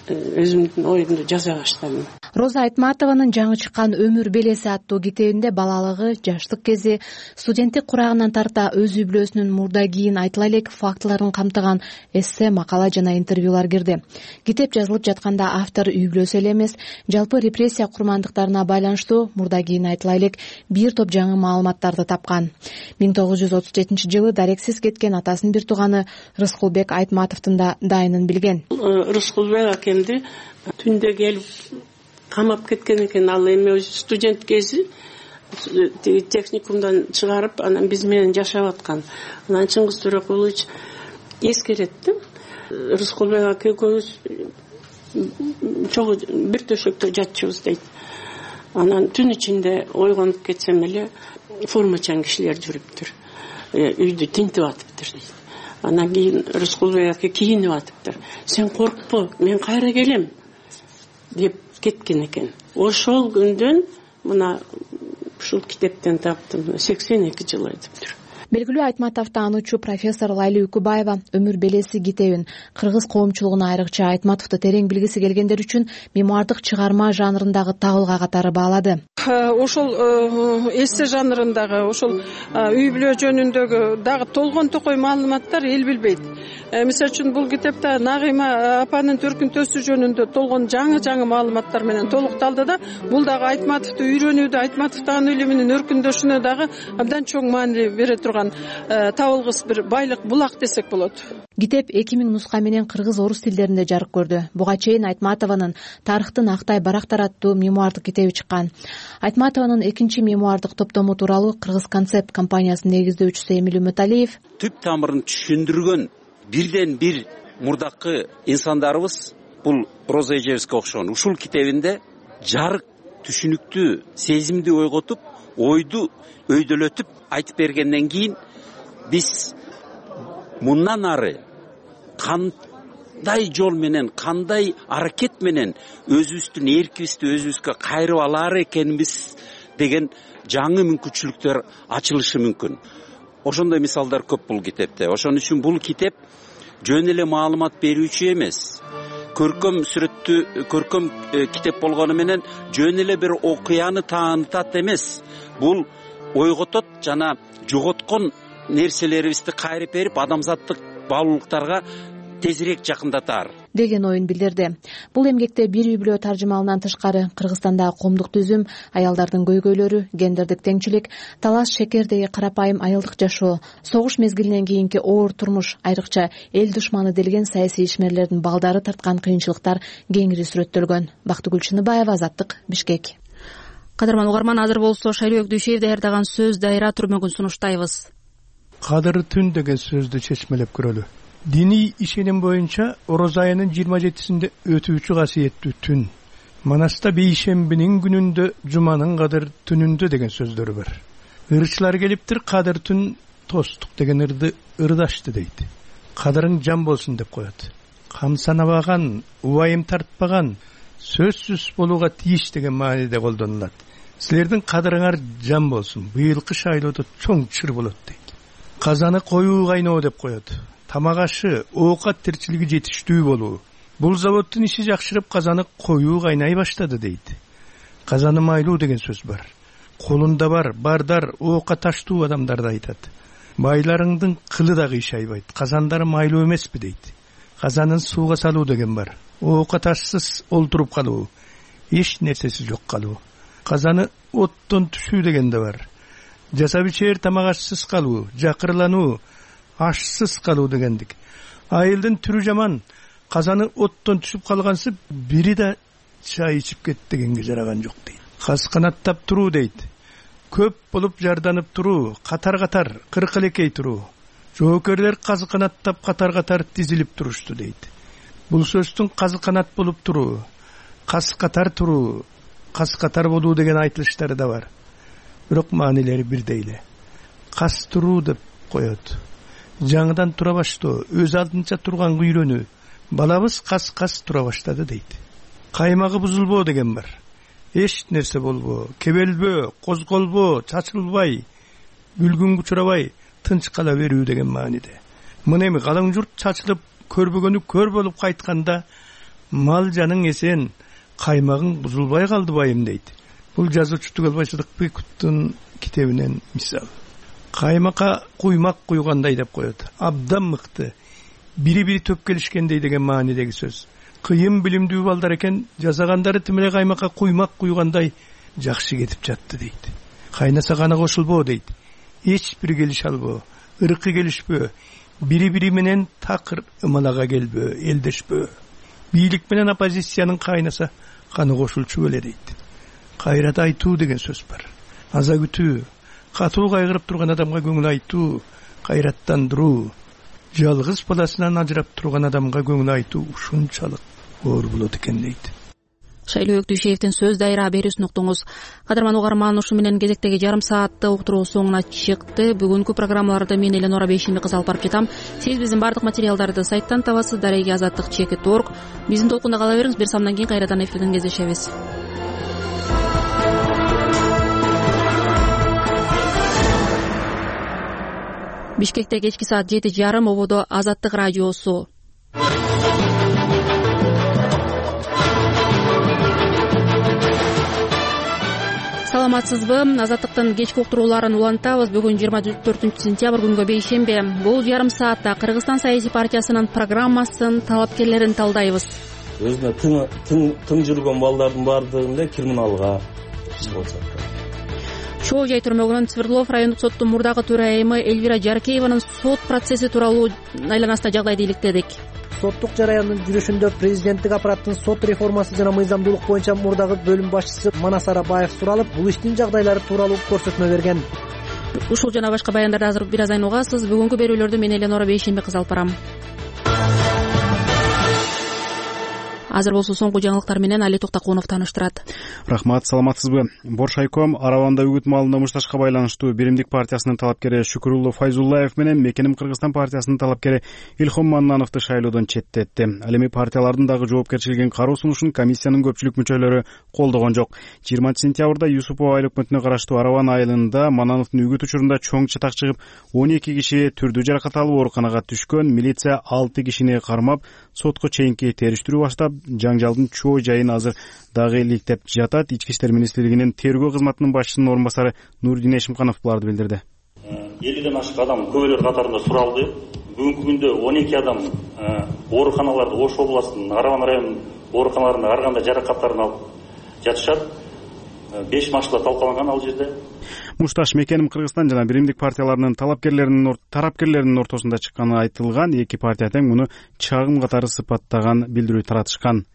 өзүмдүн оюмду жаза баштадым. Роза Айтматованын жаңы чыккан Өмүр белеси аттуу китебинде балалыгы, жаштык кези, студенттик курагынан тарта өз үй бүлөсүнүн мурда кийин айтыла элек фактыларын камтыган эссе, макала жана интервьюлар кирди. Китеп жазылып жатканда автор үй бүлөсү эле эмес, жалпы репрессия курмандыктарына байланыштуу мурда кийин айтыла элек бир топ жаңы маалыматтарды тапкан. 1937-жылы дарексиз кеткен атасынын бир тууганы Рыскулбек Айтматовдун да дайынын билген. Рыскулбек акемди түндө келип камап кеткен экен. Ал эми өзү студент кези техникумдан чыгарып, анан биз менен жашап аткан. Анан Чыңгыз Төрөкулович эскерет да. Рыскулбек аке экөөбүз чогуу бир төшөктө жатчубуз дейт. Анан түн ичинде ойгонуп кетсем эле формачан кишилер жүрүптүр. Үйдү тинтип атыптыр дейт. Анан кийин Рыскулбек аке кийинип атыптыр. Сен коркпо, мен кайра келем деп кеткен экен. Ошол күндөн мына ушул китептен таптым. 82 жыл айтыптыр. Белгилүү Айтматов таануучу профессор Лайли Үкүбаева Өмүр белеси китебин кыргыз коомчулугуна, айрыкча Айтматовду терең билгиси келгендер үчүн мемуардык чыгарма жанрындагы табылга катары баалады. Ошол эссе жанрындагы, ошол үй бүлө жөнүндөгү дагы толгон токой маалыматтар эл билбейт. Мисалы үчүн бул китепте Нагыйма апанын төркүнтөсү жөнүндө толгон жаңы маалыматтар менен толукталды да, бул дагы Айтматовду үйрөнүүдө, Айтматов таануу илиминин өркүндөшүнө дагы абдан чоң маани бере турган табылгыс бир байлык булак десек болот. Китеп 2000 нуска менен кыргыз, орус тилдеринде жарык көрдү. Буга чейин Айтматованын Тарыхтын актай барактар аттуу мемуардык китеби чыккан. Айтматованын экинчи мемуардык топтому тууралуу Кыргыз концепт компаниясынын негиздөөчүсү Эмил Үмүталиев түп тамырын түшүндүргөн бирден бир мурдакы инсандарыбыз бул Роза эжебизге окшогон. Ушул китебинде жарык, түшүнүктүү, сезимди ойготуп, ойду өйдөлөтүп айтып бергенден кийин биз мындан ары кандай жол менен, кандай аракет менен өзүбүздүн эркибизди өзүбүзгө кайрып алар экенбиз деген жаңы мүмкүнчүлүктөр ачылышы мүмкүн. Ошондой мисалдар көп бул китепте. Ошон үчүн бул китеп жөн эле маалымат берүүчү эмес. Көркөм китеп болгону менен жөн эле бир окуяны таанытат эмес. Бул ойготот жана жоготкон нерселерибизди кайрып берип, адамзаттык баалуулуктарга тезирээк жакындатар деген оюн билдирди. Бул эмгекте бир үй бүлө таржымалынан тышкары Кыргызстандагы коомдук түзүм, аялдардын көйгөйлөрү, гендердик теңчилик, талаш шекердеги карапайым айылдык жашоо, согуш мезгилинен кийинки оор турмуш, айрыкча эл душманы делген саясий ишмерлердин балдары тарткан кыйынчылыктар кеңири сүрөттөлгөн. Бактыгүл Чыныбаева, Азаттык, Бишкек. Кадырман угарман, азыр болсо Шайлоок Дүйшеев даярдаган сөз дайра түрмөгүн сунуштайбыз. Кадыр түн деген сөздү чечмелеп көрөлү. Диний ишеним боюнча Ороз айынын 27-синде өтүүчү касиеттүү түн. Манаста бейшембинин күнүндө, жуманын кадыр түнүндө деген сөздөр бар. Ырчылар келиптир, кадыр түн тостук деген ырды ырдашты дейт. Кадырың жан болсун деп коет. Камсанабаган, убайым тартпаган, сөзсүз болууга тийиш деген мааниде колдонулат. Силердин кадырыңар жан болсун, быйылкы шайлоодо чоң чыр болот дейт. Казаны коюу кайноо деп коет. Тамак ашы, оокат тирчилиги жетиштүү болуу. Бул заводдун иши жакшырып, казаны коюу кайнай баштады дейт. Казаны майлуу деген сөз бар. Колунда бар, бардар, оокка таштуу адамдарды айтат. Байларыңдын кылы да кыйшайбайт, казандары майлуу эмеспи дейт. Казанын сууга салуу деген бар. Оокка ташсыз олтуруп калуу, эч нерсеси жок калуу. Казаны оттон түшүү деген да бар. Жасап ичер тамак ашсыз калуу, жакырлануу, ашсыз калуу дегендик. Айылдын түрү жаман, казаны оттон түшүп калгансы бири да чай ичип кет дегенге жараган жок дейт. Каз канаттап туруу дейт. Көп болуп жарданып туруу, катар-катар, кыркылекей туруу. Жоокерлер каз канаттап катар-катар тизилип турушту дейт. Бул сөздүн казы канат болуп туруу, каз катар туруу, каз катар болуу деген айтылыштары да бар. Бирок маанилери бирдей эле. Каз туруу деп коет. Жаңыдан тура баштоо, өз алдынча турганга үйрөнүү. Балабыз каз тура баштады дейт. Каймагы бузулбоо деген бар. Эч нерсе болбоо, кебелбөө, козголбоо, чачылбай, бүлгүнгө учурабай, тынч кала берүү деген мааниде. Мына эми калың журт чачылып, көрбөгөнү көр болуп кайтканда, мал жаның эсен, каймагың бузулбай калдыбайым дейт. Бул жазуучу Тугалбай Сыдыкбековдун китебинен мисал. Каймакка куймак куйгандай деп коет. Абдан мыкты. Бири-бири төп келишкендей деген маанидеги сөз. Кыйын билимдүү балдар экен, жасагандары тимеле каймакка куймак куйгандай жакшы кетип жатты дейт. Кайнаса гана кошулбоо дейт. Эч бир келише албоо, ыркы келишпөө, бири-бири менен такыр ымалага келбөө, элдешпөө. Бийлик менен оппозициянын кайнаса каны кошулчу беле дейт. Кайрат айтуу деген сөз бар. Аза күтүү, катуу кайгырып турган адамга көңүл айтуу, кайраттандыруу, жалгыз баласынан ажырап турган адамга көңүл айтуу ушунчалык оор болот экен дейт. Шайлоо Өктүшевдин сөз дайра берүүсүн уктуңуз. Кадырман угарман, ушу менен кезектеги жарым сааттык уктуруу соңуна чыкты. Бүгүнкү программаларды мен Эленора Бейшемби кыз алып барып жатам. Сиз биздин бардык материалдарды сайттан табасыз. Дареги азаттык _org. Биздин толкунда кала бериңиз. Бир самдан кийин кайрадан эфирден кездешебиз. Бишкекте кечки саат 7:30 ободо Азаттык радиосу. Саламатсызбы? Азаттыктын кечки уктурууларын улантабыз. Бүгүн 24 сентябрь күнгө бейшембе. Бул жарым саатта Кыргызстан саясий партиясынын программасын, талапкерлерин талдайбыз. Өзүнө тың жүргөн балдардын баардыгын эле криминалга Чоо жай түрмөгүнүн Свердлов райондук соттун мурдагы төрайымы Эльвира Жаркееванын сот процесси тууралуу айланасында жагдайды иликтедик. Соттук жараяндын жүрүшүндө президенттик аппараттын сот реформасы жана мыйзамдуулук боюнча мурдагы бөлүм башчысы Манас Арабаев суралып, бул иштин жагдайлары тууралуу көрсөтмө берген. Ушул жана башка баяндарды азыр бир аздан угасыз. Бүгүнкү берүүлөрдү мен Эленора Бейшемби кыз алып барам. Азыр болсо соңку жаңылыктар менен Али Токтокунов тааныштырат. Рахмат, саламатсызбы? Боршайком Араванда үгүт малында мушташка байланыштуу Биримдик партиясынын талапкери Шүкүрулло Файзуллаев менен Мекеним Кыргызстан партиясынын талапкери Илхом Маннановду шайлоодон четтетти. Ал эми партиялардын дагы жоопкерчилигин кароо сунушун комиссиянын көпчүлүк мүчөлөрү колдогон жок. 20 сентябрда Юсупов айыл өкмөтүнө караштуу Араван айылында Маннановдун үгүт учурунда чоң чатак чыгып, 12 киши түрдүү жаракат алып ооруканага түшкөн. Милиция 6 кишини кармап, сотко чейинки териштирүү баштап, жаңжалдын чоо жайын азыр дагы иликтеп жатат. Ички иштер министрлигинин тергөө кызматынын башчысынын орун басары Нурдин Эшимканов буларды билдирди. 50ден ашык адам көбөлөр катарында суралды. Бүгүнкү күндө 12 адам ооруканаларда, Ош областынын Араван районунун ооруканаларында ар кандай жаракаттарын алып жатышат. 5 машыла талкаланган ал жерде. Мушташ Мекеним Кыргызстан жана Биримдик партияларынын тарапкерлеринин ортосунда чыкканы айтылган. Эки партия тең муну чагым катары сыпаттаган билдирүү таратышкан.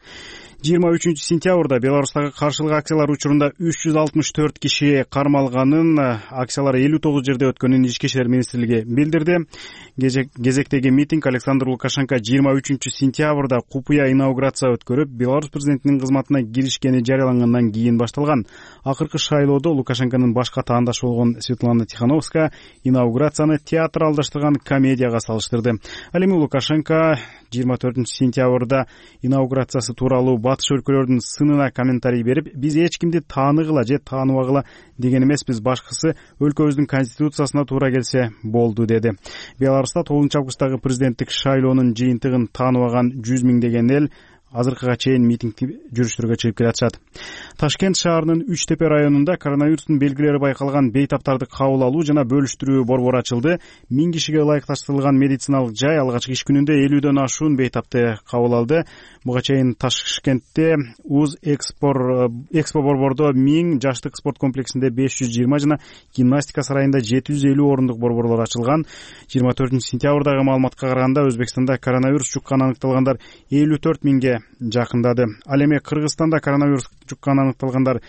23 сентябрда Беларустагы каршылык акциялар учурунда 364 киши кармалганын, акциялар 59 жерде өткөнүн Ички иштер министрлиги билдирди. Кезектеги митинг Александр Лукашенко 23 сентябрда купуя инаугурация өткөрүп, Беларусь президентинин кызматына киришкени жарыялангандан кийин башталган. Акыркы шайлоодо Лукашенконун башка таандашы болгон Светлана Тихановская инаугурацияны театралдаштырган комедияга салыштырды. Ал эми Лукашенко 24 сентябрда инаугурациясы тууралуу батыш өлкөлөрдүн сынына комментарий берип, биз эч кимди тааныгыла же тааныбагыла деген эмеспиз, башкысы өлкөбүздүн конституциясына туура келсе болду деди. Беларуста 9-августтагы президенттик шайлоонун жыйынтыгын тааныбаган 100 миңдеген эл азыркыга чейин митинг жүрүштөргө чыгып келатышат. Ташкент шаарынын Үч Тепе районунда коронавирустун белгилери байкалган бейтаптарды кабыл алуу жана бөлүштүрүү борбору ачылды. 1000 кишиге ылайыкташтырылган медициналык жай алгачкы иш күнүндө 50дөн ашуун бейтапты кабыл алды. Буга чейин Ташкентте УЗ Экспо борбордо 1000, жаштык спорт комплексинде 520 жана гимнастика сарайында 750 орундук борборлор ачылган. 24 сентябрдагы маалыматка караганда Өзбекстанда коронавирус жукканы аныкталгандар 54 миңге жакындады. Ал эми Кыргызстанда коронавирус жукканы аныкталгандар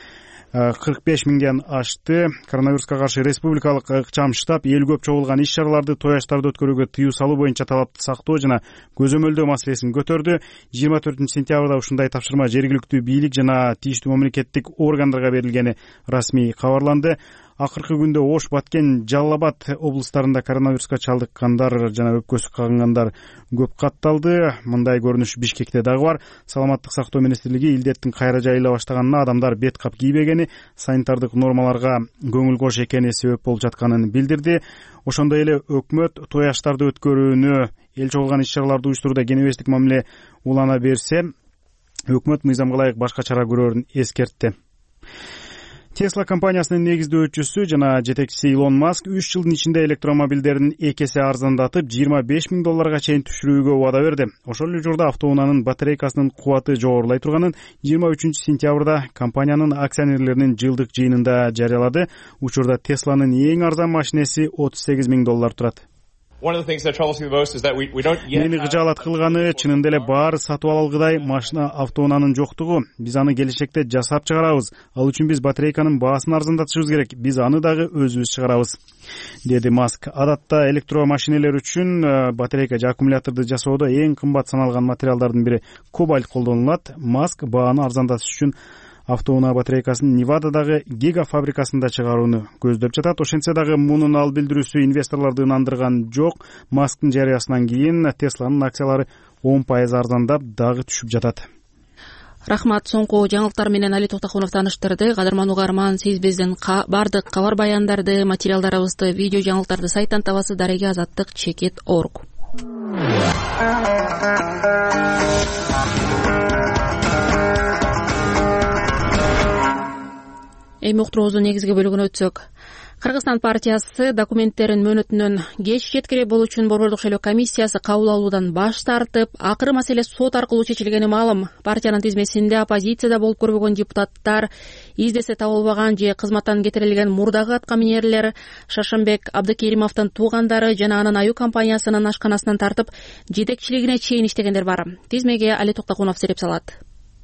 45 миңден ашты. Коронавируска каршы республикалык ыкчам штаб эл көп чогулган иш-чараларды, тояштарды өткөрүүгө тыюу салуу боюнча талапты сактоо жана көзөмөлдөө маселесин көтөрдү. 24 сентябрда ушундай тапшырма жергиликтүү бийлик жана тийиштүү мамлекеттик органдарга берилгени расмий кабарланды. Акыркы күндө Ош, Баткен, Жалал Абад облустарында коронавируска чалдыккандар жана өпкөсү кагынгандар көп катталды. Мындай көрүнүш Бишкекте дагы бар. Саламаттык сактоо министрлиги илдеттин кайра жайыла баштаганына адамдар бет кап кийбегени, санитардык нормаларга көңүл кош экени себеп болуп жатканын билдирди. Ошондой эле өкмөт тояштарды өткөрүүнү, эл чогулган иш-чараларды уюштурууда кенебестик мамиле улана берсе, өкмөт мыйзамга ылайык башка чара көрөрүн эскертти. Tesla компаниясынын негиздөөчүсү жана жетекчиси Илон Маск 3 жылдын ичинде электромобилдерин 2 эсе арзандатып, $25,000 чейин түшүрүүгө убада берди. Ошол эле учурда автоунаанын батарейкасынын кубаты жогорулай турганын 23-сентябрда компаниянын акционерлеринин жылдык жыйынында жарыялады. Учурда Tesla'нын эң арзан машинеси $38,000 турат. Мени кыжаалат кылганы чынында эле баары сатып ала алгыдай машина автоунаанын жоктугу. Биз аны келечекте жасап чыгарабыз. Ал үчүн биз батарейканын баасын арзандатышыбыз керек. Биз аны дагы өзүбүз чыгарабыз, деди Маск. Адатта электромашинелер үчүн батарейка же аккумуляторду жасоодо эң кымбат саналган материалдардын бири кобальт колдонулат. Маск бааны арзандатыш үчүн автоунаа батарейкасын Невададагы Giga фабрикасында чыгарууну көздөп жатат. Ошентсе дагы мунун ал билдирүүсү инвесторлорду ынандырган жок. Масктын жарыясынан кийин Tesla'нын акциялары 10% арзандап дагы түшүп жатат. Рахмат. Соңку жаңылыктар менен Али Токтокунов тааныштырды. Кадырман угарман, сиз биздин бардык кабар баяндарды, материалдарыбызды, видео жаңылыктарды сайттан табасыз. daregeazаттык.org. Эми уктуруубуздун негизги бөлүгүнө өтсөк, Кыргызстан партиясы документтерин мөөнөтүнөн кеч жеткире болуу үчүн Борбордук шайлоо комиссиясы кабыл алуудан баш тартып, акыры маселе сот аркылуу чечилгени маалым. Партиянын тизмесинде оппозицияда болуп көрбөгөн депутаттар, издесе табылбаган же кызматтан кетирилген мурдагы аткаминерлер, Шаршембек Абдыкеримовдун туугандары жана анын аюу компаниясынын ашканасынан тартып, жетекчилигине чейин иштегендер бар. Тизмеге Али Токтокунов сереп салат.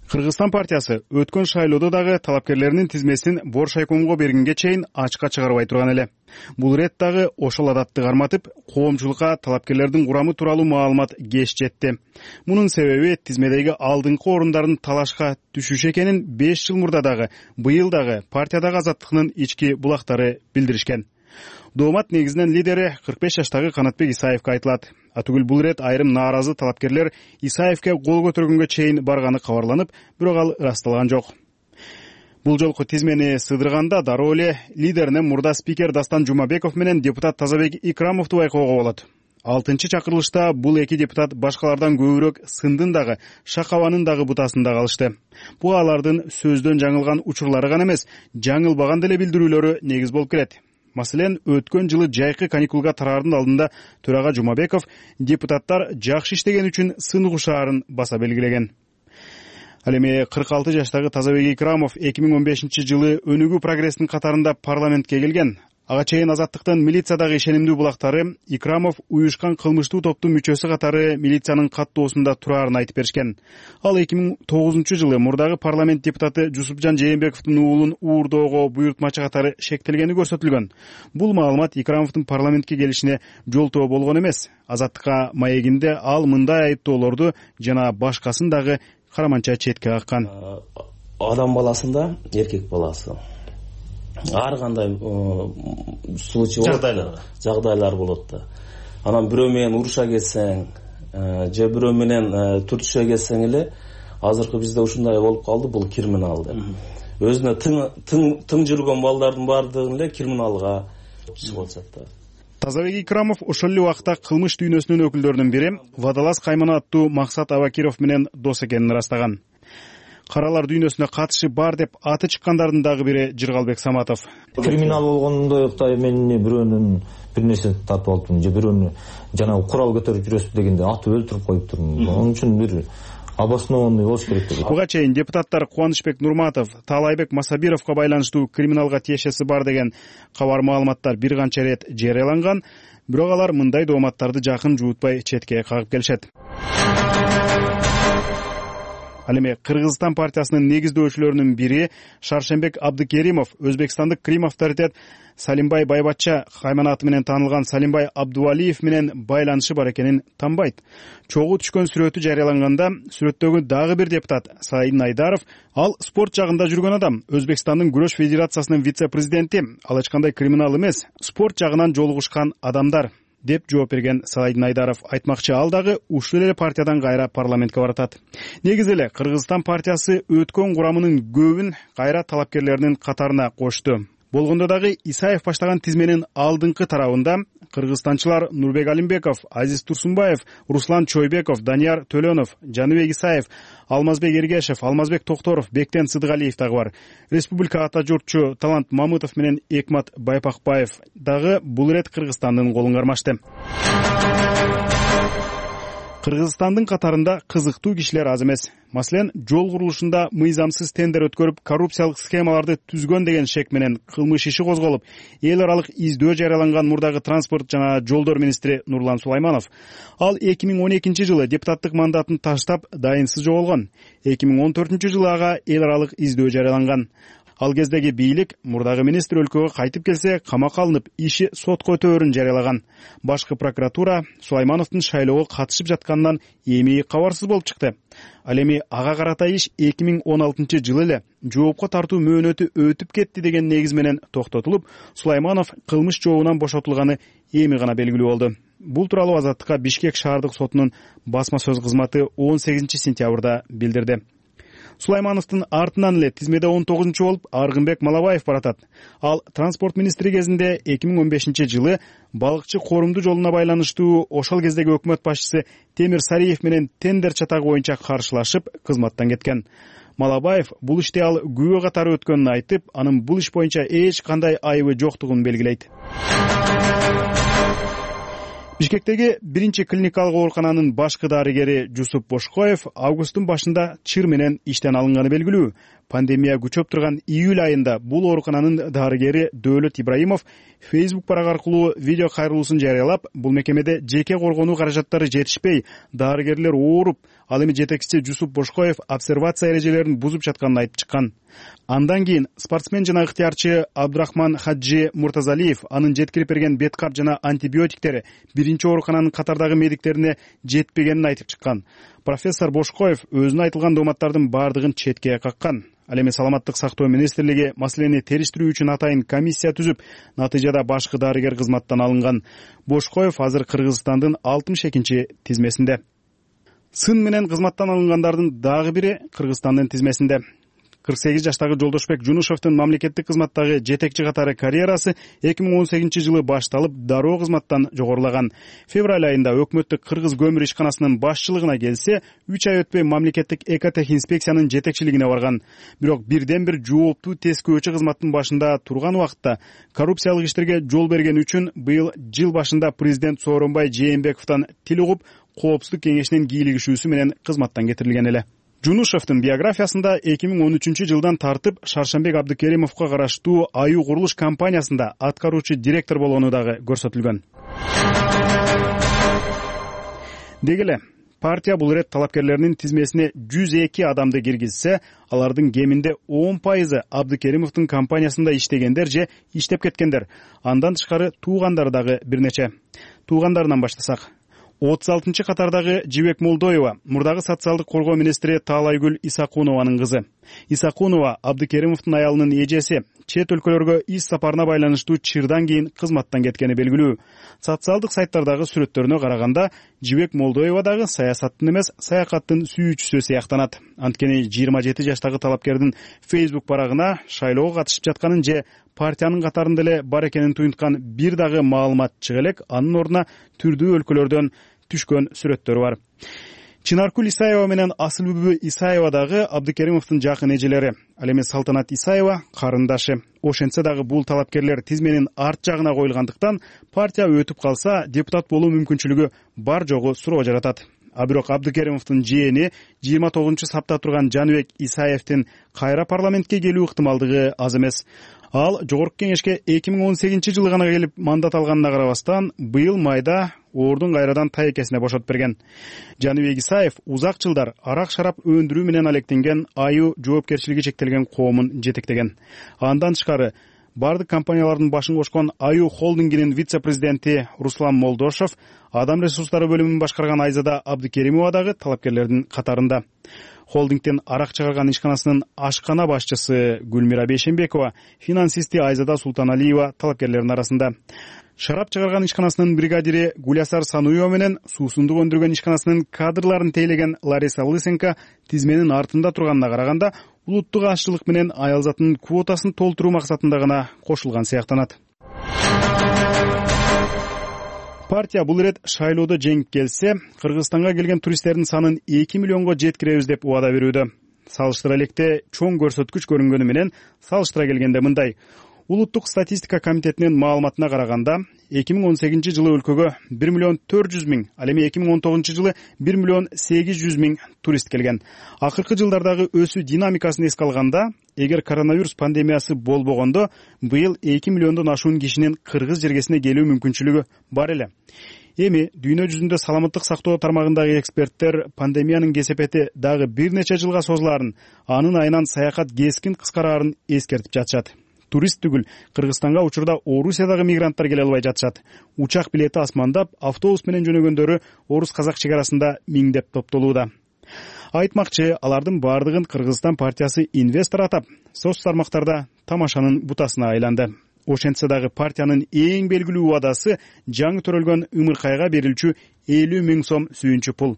Кыргызстан партиясы өткөн шайлоодо дагы талапкерлеринин тизмесин Боршайкомго бергенге чейин ачыкка чыгарбай турган эле. Бул рет дагы ошол адатты карматып, коомчулукка талапкерлердин курамы тууралуу маалымат кеч жетти. Мунун себеби тизмедеги алдыңкы орундардын талашка түшүшү экенин 5 жыл мурда дагы, быйыл дагы партиядагы Азаттыктын ички булактары билдиришкен. Доомат негизинен лидери 45 жаштагы Канатбек Исаевке айтылат. Атүгүл бул рет айрым нааразы талапкерлер Исаевке кол көтөргөнгө чейин барганы кабарланып, бирок ал ырасталган жок. Бул жолку тизмени сыдырганда дароо эле лидерине мурда спикер Дастан Жумабеков менен депутат Тазабек Икрамовду байкоого болот. 6-чакырылышта бул эки депутат башкалардан көбүрөөк сындын дагы, шакабанын дагы бутасында калышты. Бул алардын сөздөн жаңылган учурлары гана эмес, жаңылбаган деле билдирүүлөрү негиз болуп келет. Маселен, өткөн жылы жайкы каникулга тараардын алдында төрага Жумабеков депутаттар жакшы иштеген үчүн сын угушаарын баса белгилеген. Ал эми 46 жаштагы Тазабек Икрамов 2015-жылы Өнүгүү прогресстин катарында парламентке келген. Ага чейин Азаттыктын милициядагы ишенимдүү булактары Икрамов уюшкан кылмыштуу топтун мүчөсү катары милициянын каттоосунда турарын айтып беришкен. Ал 2009-жылы мурдагы парламент депутаты Жусупжан Жээнбековдун уулун уурдоого буйртмачы катары шектелгени көрсөтүлгөн. Бул маалымат Икрамовдун парламентке келишине жолтоо болгон эмес. Азаттыкка маегинде ал мындай айыптоолорду жана башкасын дагы караманча четке каккан. Адам баласында эркек баласы ар кандай случай жагдайлар болот да. Анан бирөө менен уруша кетсең, же бирөө менен түртүшө кетсең эле, азыркы бизде ушундай болуп калды, бул криминал деп. Өзүнө тың жүргөн балдардын баардыгын эле криминалга чыгып атат да. Тазабек Икрамов ошол эле убакта кылмыш дүйнөсүнүн өкүлдөрүнүн бири Вадалас Каймана аттуу Максат Абакиров менен дос экенин ырастаган. Каралар дүйнөсүнө катышы бар деп аты чыккандардын дагы бири Жыргалбек Саматов. Криминал болгондой мен бирөөнүн бир нерсе тартып алыптырмын, же бирөөнү жанагы курал көтөрүп жүрөсүз дегенде атып өлтүрүп коюптурмун. Onun үчүн бир обоснованный болуш керек деп. Буга чейин депутаттар Кубанычбек Нурматов, Таалайбек Масабировго байланыштуу криминалга тиешеси бар деген кабар маалыматтар бир канча рет жарыяланган, бирок алар мындай дооматтарды жакын жуутпай четке кагып келишет. Ал эми Кыргызстан партиясынын негиздөөчүлөрүнүн бири Шаршембек Абдыкеримов өзбекстандык Крим авторитет Салимбай Байбатча кайманаты менен таанылган Салимбай Абдувалиев менен байланышы бар экенин танбайт. Чогуу түшкөн сүрөтү жарыяланганда сүрөттөгү дагы бир депутат Саидин Айдаров, ал спорт жагында жүргөн адам, Өзбекстандын күрөш федерациясынын вице-президенти, ал эч кандай криминал эмес, спорт жагынан жолугушкан адамдар деп жооп берген Саидин Айдаров. Айтмакчы, ал дагы ушул эле партиядан кайра парламентке баратат. Негизи эле Кыргызстан партиясы өткөн курамынын көбүн кайра талапкерлеринин катарына кошту. болгондо дагы Исаев баштаган тизменин алдыңкы тарабында кыргызстанчылар Нурбек Алимбеков, Азиз Турсунбаев, Руслан Чойбеков, Данияр Төлөнов, Жаныбек Исаев, Алмазбек Эргешев, Алмазбек Токторов, Бектен Сыдыгалиев дагы бар. Республика ата журтчу Талант Мамытов менен Экмат Байпакбаев дагы бул ирет Кыргызстандын колун кармашты. Кыргызстандын катарында кызыктуу кишилер аз эмес. Маселен, жол курулушунда мыйзамсыз тендер өткөрүп, коррупциялык схемаларды түзгөн деген шек менен кылмыш иши козголуп, эл аралык издөө жарыяланган мурдагы транспорт жана жолдор министри Нурлан Сулайманов. Ал 2012-жылы депутаттык мандатын таштап, дайынсыз жоголгон. 2014-жылы ага эл аралык издөө жарыяланган. Ал кездеги бийлик мурдагы министр өлкөгө кайтып келсе, камакка алынып, иши сотко өтөөрүн жарыялаган. Башкы прокуратура Сулаймановдун шайлоого катышып жатканынан эми кабарсыз болуп чыкты. Ал эми ага карата иш 2016-жылы эле жоопко тартуу мөөнөтү өтүп кетти деген негиз менен токтотулуп, Сулайманов кылмыш жообунан бошотулганы эми гана белгилүү болду. Бул тууралуу Азаттыкка Бишкек шаардык сотунун басма сөз кызматы 18-сентябрда билдирди. Сулаймановдун артынан эле тизмеде 19-чу болуп Аргынбек Малабаев баратат. Ал транспорт министри кезинде 2015-жылы балыкчы корумду жолуна байланыштуу ошол кездеги өкмөт башчысы Темир Сариев менен тендер чатагы боюнча каршылашып, кызматтан кеткен. Малабаев бул иште ал күбө катары өткөнүн айтып, анын бул иш боюнча эч кандай айыбы жоктугун белгилейт. Бишкектеги биринчи клиникалык оорукананын башкы дарыгери Жусуп Бошкоев августтун башында чыр менен иштен алынганы белгилүү. Пандемия күчөп турган июль айында бул оорукананын дарыгери Дөөлөт Ибраимов Facebook барак аркылуу видео кайрылуусун жарыялап, бул мекемеде жеке коргонуу каражаттары жетишпей, дарыгерлер ооруп, ал эми жетекчиси Жусуп Бошкоев обсервация эрежелерин бузуп жатканын айтып чыккан. Андан кийин спортсмен жана ыктыярчы Абдурахман Хаджи Муртазалиев анын жеткирип берген беткап жана антибиотиктери биринчи оорукананын катардагы медиктерине жетпегенин айтып чыккан. Профессор Бошкоев өзүнө айтылган дооматтардын бардыгын четке каккан. Ал эми саламаттык сактоо министрлиги маселени териштирүү үчүн атайын комиссия түзүп, натыйжада башкы дарыгер кызматтан алынган. Бошкоев азыр Кыргызстандын 62-чи тизмесинде. Сын менен кызматтан алынгандардын дагы бири Кыргызстандын тизмесинде. 48 жаштагы Жолдошбек Жунушевдун мамлекеттик кызматтагы жетекчи катары карьерасы 2018-жылы башталып, дароо кызматтан жогорулаган. Февраль айында өкмөттүк Кыргыз көмүр ишканасынын башчылыгына келсе, 3 ай өтпөй мамлекеттик экотех инспекциянын жетекчилигине барган. Бирок бирден-бир жооптуу тескөөчү кызматтын башында турган убакытта коррупциялык иштерге жол берген үчүн быйыл жыл башында президент Сооронбай Жээнбековдон тил угуп, коопсуздук кеңешинин кийлигишүүсү менен кызматтан кетирилген эле. Жунушевдун биографиясында 2013-жылдан тартып Шаршамбек Абдыкеримовго караштуу Аю курулуш компаниясында аткаруучу директор болгону дагы көрсөтүлгөн. Деги эле партия бул ирет талапкерлеринин тизмесине 102 адамды киргизсе, алардын кеминде 10% Абдыкеримовдун компаниясында иштегендер же иштеп кеткендер. Андан тышкары туугандары дагы бир нече. Туугандарынан баштасак, 36-чы катардагы Жибек Молдоева мурдагы социалдык коргоо министри Таалайгүл Исакунованын кызы. Исакунова Абдыкеримовдун аялынын эжеси, чет өлкөлөргө иш сапарына байланыштуу чырдан кийин кызматтан кеткени белгилүү. Социалдык сайттардагы сүрөттөрүнө караганда, Жибек Молдоева дагы саясаттын эмес, саякаттын сүйүүчүсү сыяктанат. Анткени 27 жаштагы талапкердин Facebook барагына шайлоого катышып жатканын же партиянын катарында эле бар экенин туюнткан бир дагы маалымат чыга элек, анын ордуна түрдүү өлкөлөрдөн түшкөн сүрөттөрү бар. Чынаркүл Исаева менен Асылбүбү Исаева дагы Абдыкеримовдун жакын эжелери. Ал эми Салтанат Исаева карындашы. Ошентсе дагы бул талапкерлер тизменин арт жагына коюлгандыктан партия өтүп калса, депутат болуу мүмкүнчүлүгү бар жогу суроо жаратат. Бирок Абдыкеримовдун жээни 29-сапта турган Жаныбек Исаевдин кайра парламентке келүү ыктымалдыгы аз эмес. Ал жогорку кеңешке 2018-жылы гана келип мандат алганына карабастан, быйыл майда ордун кайрадан тайекесине бошотуп берген. Жаныбек Исаев узак жылдар арак-шарап өндүрүү менен алектенген Аю жоопкерчилиги чектелген коомун жетектеген. Андан тышкары бардык компаниялардын башын кошкон Аю холдингинин вице-президенти Руслан Молдошев, адам ресурстары бөлүмүн башкарган Айзада Абдыкеримова дагы талапкерлердин катарында. Холдингден арак чыгарган ишканасынын ашкана башчысы Гүлмира Бейшембекова, финансисти Айзада Султаналиева талапкерлердин арасында. Шарап чыгарган ишканасынын бригадири Гулясар Сануева менен суусундук өндүргөн ишканасынын кадрларын тейлеген Лариса Лысенко тизменин артында турганына караганда, улуттук ашчылык менен аял затынын квотасын толтуруу максатында гана кошулган сыяктанат. Партия бул ирет шайлоодо жеңип келсе, Кыргызстанга келген туристтердин санын 2 миллионго жеткиребиз деп убада берүүдө. Салыштыра электе чоң көрсөткүч көрүнгөнү менен салыштыра келгенде мындай. Улуттук статистика комитетинин маалыматына караганда, 2018 жылы өлкөгө 1 миллион 400 миң, ал эми 2019 жылы 1 миллион 800 миң турист келген. Акыркы жылдардагы өсүү динамикасын эске алганда, эгер коронавирус пандемиясы болбогондо, быйыл 2 миллиондон ашуун кишинин кыргыз жергесине келүү мүмкүнчүлүгү бар эле. Эми дүйнө жүзүндө саламаттык сактоо тармагындагы эксперттер пандемиянын кесепети дагы бир нече жылга созулаарын, анын айынан саякат кескин кыскараарын эскертип жатышат. Турист түгүл, Кыргызстанга учурда Орусиядагы мигранттар келе албай жатышат. Учак билети асмандап, автобус менен жөнөгөндөрү орус-казак чек арасында миңдеп топтолууда. Айтмакчы, алардын бардыгын Кыргызстан партиясы инвестор атап, соц тармактарда тамашанын бутасына айланды. Ошентсе дагы партиянын эң белгилүү убадасы жаңы төрөлгөн ымыркайга берилчү 50 миң сом сүйүнчү пул.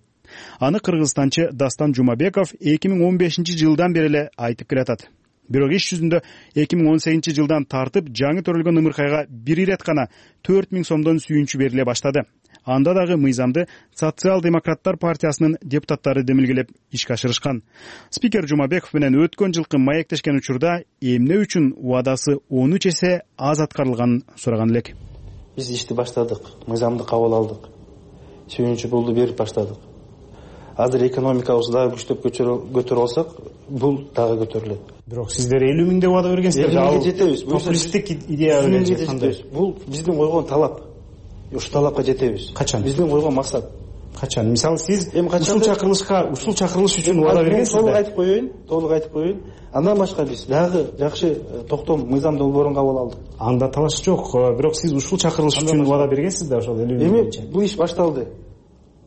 Аны кыргызстанчы Дастан Жумабеков 2015 жылдан бери эле айтып келатат. Бирок иш жүзүндө 2018 жылдан тартып жаңы төрөлгөн ымыркайга бир ирет гана 4 миң сомдон сүйүнчү бериле баштады. Анда дагы мыйзамды Социал-демократтар партиясынын депутаттары демилгелеп ишке ашырышкан. Спикер Жумабеков менен өткөн жылкы маектешкен учурда эмне үчүн убадасы 13 эсе аз аткарылганын сураган элек. Биз ишти баштадык, мыйзамды кабыл алдык. Сүйүнчү пулду берип баштадык. Азыр экономикабызды дагы күчтөп көтөрө алсак, бул дагы көтөрүлөт. Бирок сиздер 50 миңде убада бергенсиздер, ал популисттик идея берген кандай? Бул биздин койгон талап. Ушул талапка жетебиз. Качан? Биздин койгон максат. Качан? Мисалы сиз ушул чакырылыш үчүн убада бергенсиз да? Толук айтып коеюн. Андан башка биз дагы жакшы токтом мыйзам долбоорун кабыл алдык. Анда талаш жок, бирок сиз ушул чакырылыш үчүн убада бергенсиз да, ошол 50 миң боюнча. Бул иш башталды.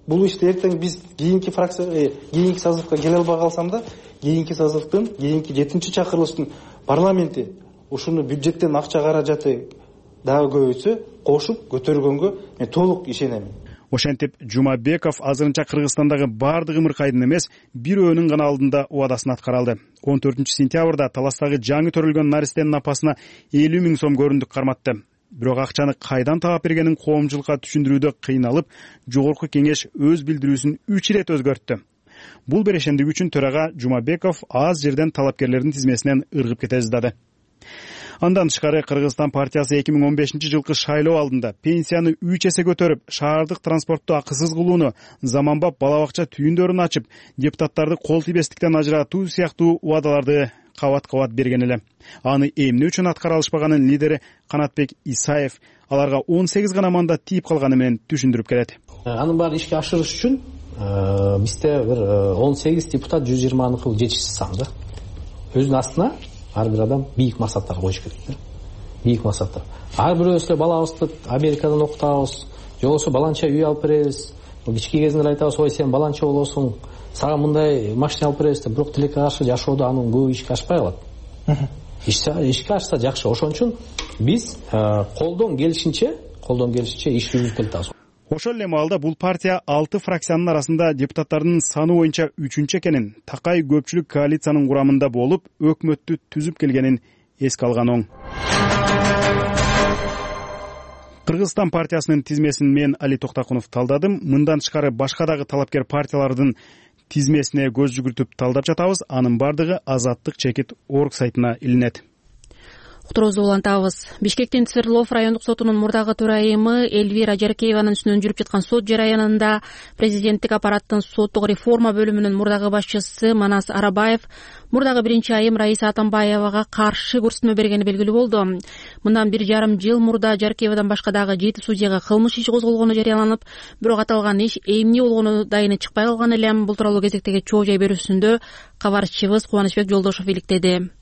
Бул ишти эртең биз кийинки фракция, кийинки созывга келе албай калсам да, кийинки созывдын, кийинки 7-чакырылыштын парламенти ушуну бюджеттен акча каражаты дагы көбөйтсө, кошуп көтөргөнгө мен толук ишенем. Ошентип Жумабеков азырынча Кыргызстандагы бардык ымыркайдын эмес, бирөөнүн гана алдында убадасын аткара алды. 14 сентябрда Таластагы жаңы төрөлгөн наристенин апасына 50 миң сом көрүндүк карматты. Бирок акчаны кайдан таап бергенин коомчулукка түшүндүрүүдө кыйналып, жогорку кеңеш өз билдирүүсүн 3 ирет өзгөрттү. Бул берешендик үчүн төрага Жумабеков аз жерден талапкерлердин тизмесинен ыргып кете ыздады. Андан тышкары Кыргызстан партиясы 2015 жылкы шайлоо алдында пенсияны 3 эсе көтөрүп, шаардык транспортту акысыз кылууну, заманбап бала бакча түйүндөрүн ачып, депутаттарды кол тийбестиктен ажыратуу сыяктуу убадаларды кабат-кабат берген эле. Аны эмне үчүн аткара алышпаганын лидери Канатбек Исаев аларга 18 гана мандат тийип калганы менен түшүндүрүп келет. Анын баарын ишке ашырыш үчүн бизде бир 18 депутат 120 жетишсиз сан да. Өзүнүн астына ар бир адам бийик максаттар коюш керек да. Бийик максаттар. Ар бирөөбүз балабызды Америкадан окутабыз, же болбосо баланча үй алып беребиз. Кички кезинде айтабыз, ой сен баланча болосуң, сага мындай машина алып беребиз деп, бирок тилекке каршы жашоодо анын көбү ишке ашпай калат. Ишке ашса жакшы. Ошон үчүн биз колдон келишинче иш жүргүзүп келатабыз. Ошол эле маалда бул партия 6 фракциянын арасында депутаттардын саны боюнча 3-чү экенин, такай көпчүлүк коалициянын курамында болуп, өкмөттү түзүп келгенин эске алган оң. Кыргызстан партиясынын тизмесин мен Али Токтакунов талдадым. Мындан тышкары башка дагы талапкер партиялардын тизмесине көз жүгүртүп талдап жатабыз. Анын бардыгы Азаттык чекит орг сайтына илинет. Уктуруубузду улантабыз. Бишкектин Свердлов райондук сотунун мурдагы төрайымы Элвира Жаркееванын үстүнөн жүрүп жаткан сот жараянында президенттик аппараттын соттук реформа бөлүмүнүн мурдагы башчысы Манас Арабаев мурдагы биринчи айым Раиса Атамбаевага каршы көрсөтмө бергени белгилүү болду. Мындан 1,5 жыл мурда Жаркеевадан башка дагы 7 судьяга кылмыш иши козголгону жарыяланып, бирок аталган иш эмне болгону дайыны чыкпай калган эле. Бул тууралуу кезектеги чоо жай берүүсүндө кабарчыбыз Кубанычбек Жолдошов иликтеди.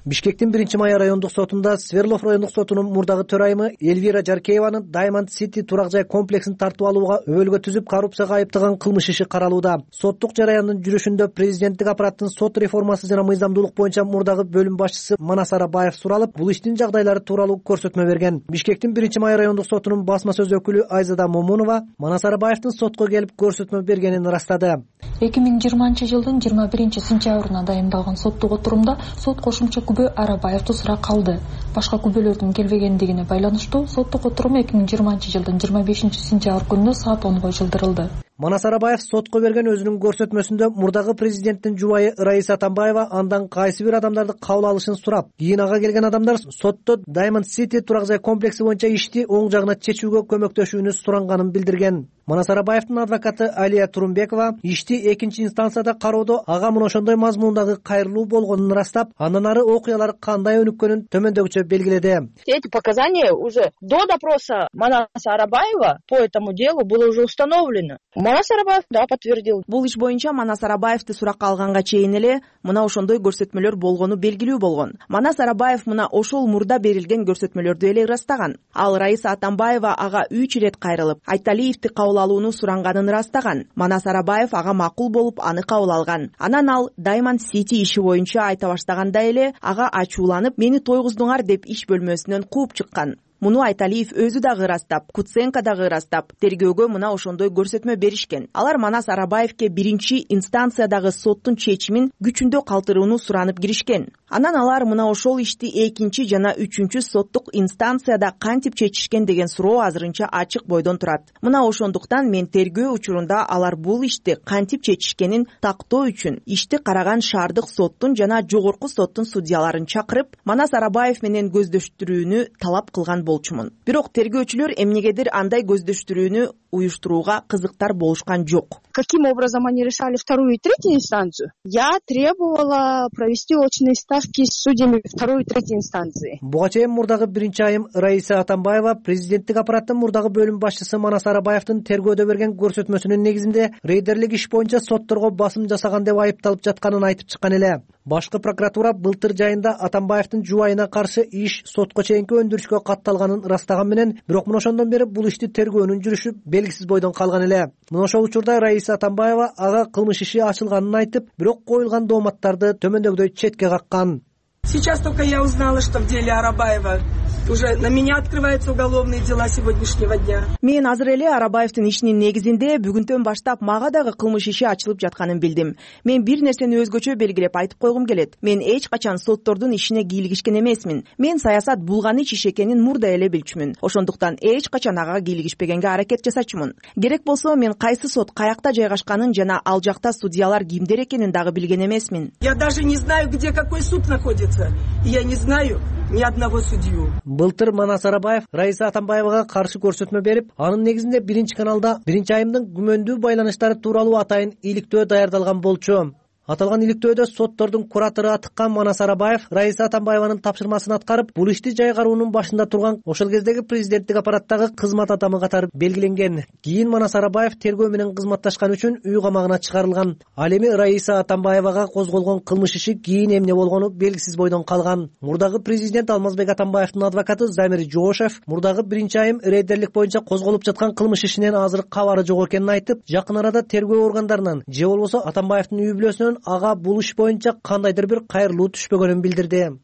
Бишкектин 1-Май райондук сотунда Сверлов райондук сотунун мурдагы төрайымы Эльвира Жаркееванын Diamond City турак жай комплексин тартып алууга өбөлгө түзүп коррупцияга айыптаган кылмыш иши каралууда. Соттук жараяндын жүрүшүндө президенттик аппараттын сот реформасы жана мыйзамдуулук боюнча мурдагы бөлүм башчысы Манас Арабаев суралып, бул иштин жагдайлары тууралуу көрсөтмө берген. Бишкектин 1-Май райондук сотунун басма сөз өкүлү Айзада Момунова Манас Арабаевдин сотко келип көрсөтмө бергенин ырастады. 2020-жылдын 21-сентябрына дайындалган соттук отурумда сот кошумча күбө Арабаевди суракка алды. Башка күбөлөрдүн келбегендигине байланыштуу соттук отурум 2020-жылдын 25-сентябрь күнүнө саат 10го жылдырылды. Манас Арабаев сотко берген өзүнүн көрсөтмөсүндө мурдагы президенттин жубайы Раиса Атамбаева андан кайсы бир адамдарды кабыл алышын сурап, кийин ага келген адамдар сотто Diamond City турак жай комплекси боюнча ишти оң жагына чечүүгө көмөктөшүүнү суранганын билдирген. Манас Арабаевдин адвокаты Алия Турумбекова ишти экинчи инстанцияда кароодо ага мына ошондой мазмундагы кайрылуу болгонун ырастап, андан ары окуялар кандай өнүккөнүн төмөндөгүчө белгиледи. Эти показания уже до допроса Манаса Арабаева по этому делу было уже установлено. Манас Арабаев да подтвердил. Бул иш боюнча Манас Арабаевди суракка алганга чейин эле мына ошондой көрсөтмөлөр болгону белгилүү болгон. Манас Арабаев мына ошол мурда берилген көрсөтмөлөрдү эле ырастаган. Ал Раиса Атамбаева ага 3 ирет кайрылып, Айталиевди кабыл алууну суранганын ырастаган. Манас Арабаев ага макул болуп аны кабыл алган. Анан ал Diamond City иши боюнча айта баштаганда эле ага ачууланып, мени тойгуздуңар деп иш бөлмөсүнөн кууп чыккан. Муну Айталиев өзү дагы ырастап, Куценко дагы ырастап, тергөөгө мына ошондой көрсөтмө беришкен. Алар Манас Арабаевке 1-инстанциядагы соттун чечимин күчүндө калтырууну суранып киришкен. Анан алар мына ошол ишти 2 жана 3 соттук инстанцияда кантип чечишкен деген суроо азырынча ачык бойдон турат. Мына ошондуктан мен тергөө учурунда алар бул ишти кантип чечишкенин тактоо үчүн ишти караган шаардык соттун жана жогорку соттун судьяларын чакырып, Манас Арабаев менен көздөштүрүүнү талап кылган болчумун. Бирок тергөөчүлөр эмнегедир андай көздөштүрүүнү уюштурууга кызыктар болушкан жок. Каким образом они решали вторую и третью инстанцию? Я требовала провести очные ставки с судьями второй и третьей инстанции. Буга чейин мурдагы 1-айым Раиса Атамбаева президенттик аппараттын мурдагы бөлүм башчысы Манас Арабаевдин тергөөдө берген көрсөтмөсүнүн негизинде рейдерлик иш боюнча сотторго басым жасаган деп айыпталып жатканын айтып чыккан эле. Башкы прокуратура былтыр жайында Атамбаевдин жубайына каршы иш сотко чейинки өндүрүшкө катталганын ырастаган менен, бирок мына ошондон бери бул ишти тергөөнүн жүрүшү белгисиз бойдон калган эле. Мына ошол учурда Раиса Атамбаева ага кылмыш иши ачылганын айтып, бирок коюлган дооматтарды төмөндөгүдөй четке каккан. Сейчас только я узнала, что в деле Арабаева уже на меня открываются уголовные дела сегодняшнего дня. Мен азыр эле Арабаевдин ишинин негизинде бүгүнтөн баштап мага дагы кылмыш иши ачылып жатканын билдим. Мен бир нерсени өзгөчө белгилеп айтып койгум келет. Мен эч качан соттордун ишине кийлигишкен эмесмин. Мен саясат булганыч иш экенин мурда эле билчүмүн. Ошондуктан эч качан ага кийлигишпегенге аракет жасачумун. Керек болсо мен кайсы сот каякта жайгашканын жана ал жакта судьялар кимдер экенин дагы билген эмесмин. Я даже не знаю, где какой суд находится. Я не знаю ни одного судью. Былтыр Манас Арабаев Раиса Атамбаевага каршы көрсөтмө берип, анын негизинде 1-каналда 1-айымдын күмөндүү байланыштары тууралуу атайын иликтөө даярдалган болчу. Аталган иликтөөдө соттордун куратору атыккан Манас Арабаев Раиса Атамбаеванын тапшырмасын аткарып, бул ишти жайгаруунун башында турган ошол кездеги президенттик аппараттагы кызмат адамы катары белгиленген. Кийин Манас Арабаев тергөө менен кызматташкан үчүн үй камагына чыгарылган. Ал эми Раиса Атамбаевага козголгон кылмыш иши кийин эмне болгону белгисиз бойдон калган. Мурдагы президент Алмазбек Атамбаевдин адвокаты Замир Жоошев мурдагы 1-айым рейдерлик боюнча козголуп жаткан кылмыш ишинен азыр кабары жок экенин айтып, жакын арада тергөө органдарынан же болбосо Атамбаевдин үй бүлөсүнөн ага бул иш боюнча кандайдыр бир кайрылуу түшпөгөнүн билдирди.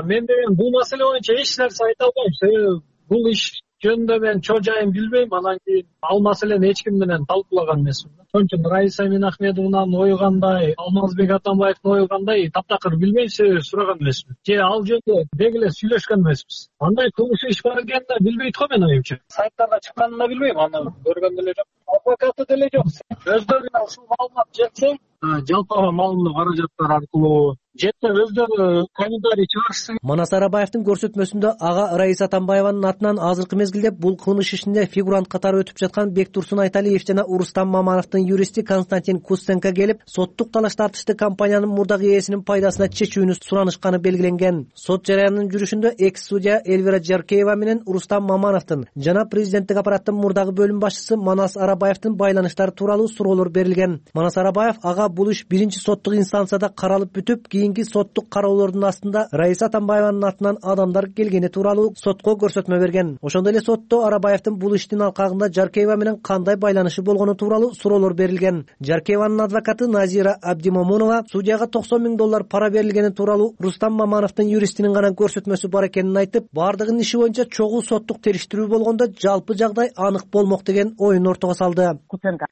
Мен деген бул маселе боюнча эч нерсе айта албайм. Себеби бул иш жөнүндө мен чоо жайын билбейм. Анан кийин ал маселени эч ким менен талкуулаган эмесмин. Ошон үчүн Раиса Минахмедовнанын ою кандай, Алмазбек Атамбаевдин ою кандай таптакыр билбейм, себеби сураган эмесмин. Же ал жөнүндө деги эле сүйлөшкөн эмеспиз. Андай кылмыш иш бар экенин да билбейт го менин оюмча. Сайттарда чыкканын да билбейм, аны көргөн деле жок. Адвокаты деле жок. Өздөрүнө ушул маалымат жетсе, жалпыга маалымдоо каражаттар аркылуу жетсе өздөрү комментарий чыгарышсын. Манас Арабаевдин көрсөтмөсүндө ага Раиса Атамбаеванын атынан азыркы мезгилде бул кылмыш ишинде фигурант катары өтүп жаткан Бектурсун Айталиев жана Урустам Мамановдун юристи Константин Куценко келип, соттук талаш тартышты компаниянын мурдагы ээсинин пайдасына чечүүнү суранышканы белгиленген. Сот жараянынын жүрүшүндө экс-судья Эльвира Жаркеева менен Урустам Мамановдун жана президенттик аппараттын мурдагы бөлүм башчысы Манас Арабаевдин байланыштары тууралуу суроолор берилген. Манас Арабаев ага бул иш 1-соттук инстанцияда каралып бүтүп, кийинки соттук кароолордун астында Раиса Атамбаеванын атынан адамдар келгени тууралуу сотко көрсөтмө берген. Ошондой эле сотто Арабаевдин бул иштин алкагында Жаркеева менен кандай байланышы болгону тууралуу суроолор берилген. Жаркееванын адвокаты Назира Абдимомунова судьяга $90,000 пара берилгени тууралуу Рустам Мамановдун юристинин гана көрсөтмөсү бар экенин айтып, бардыгынын иши боюнча чогуу соттук териштирүү болгондо жалпы жагдай анык болмок деген оюн ортого салды.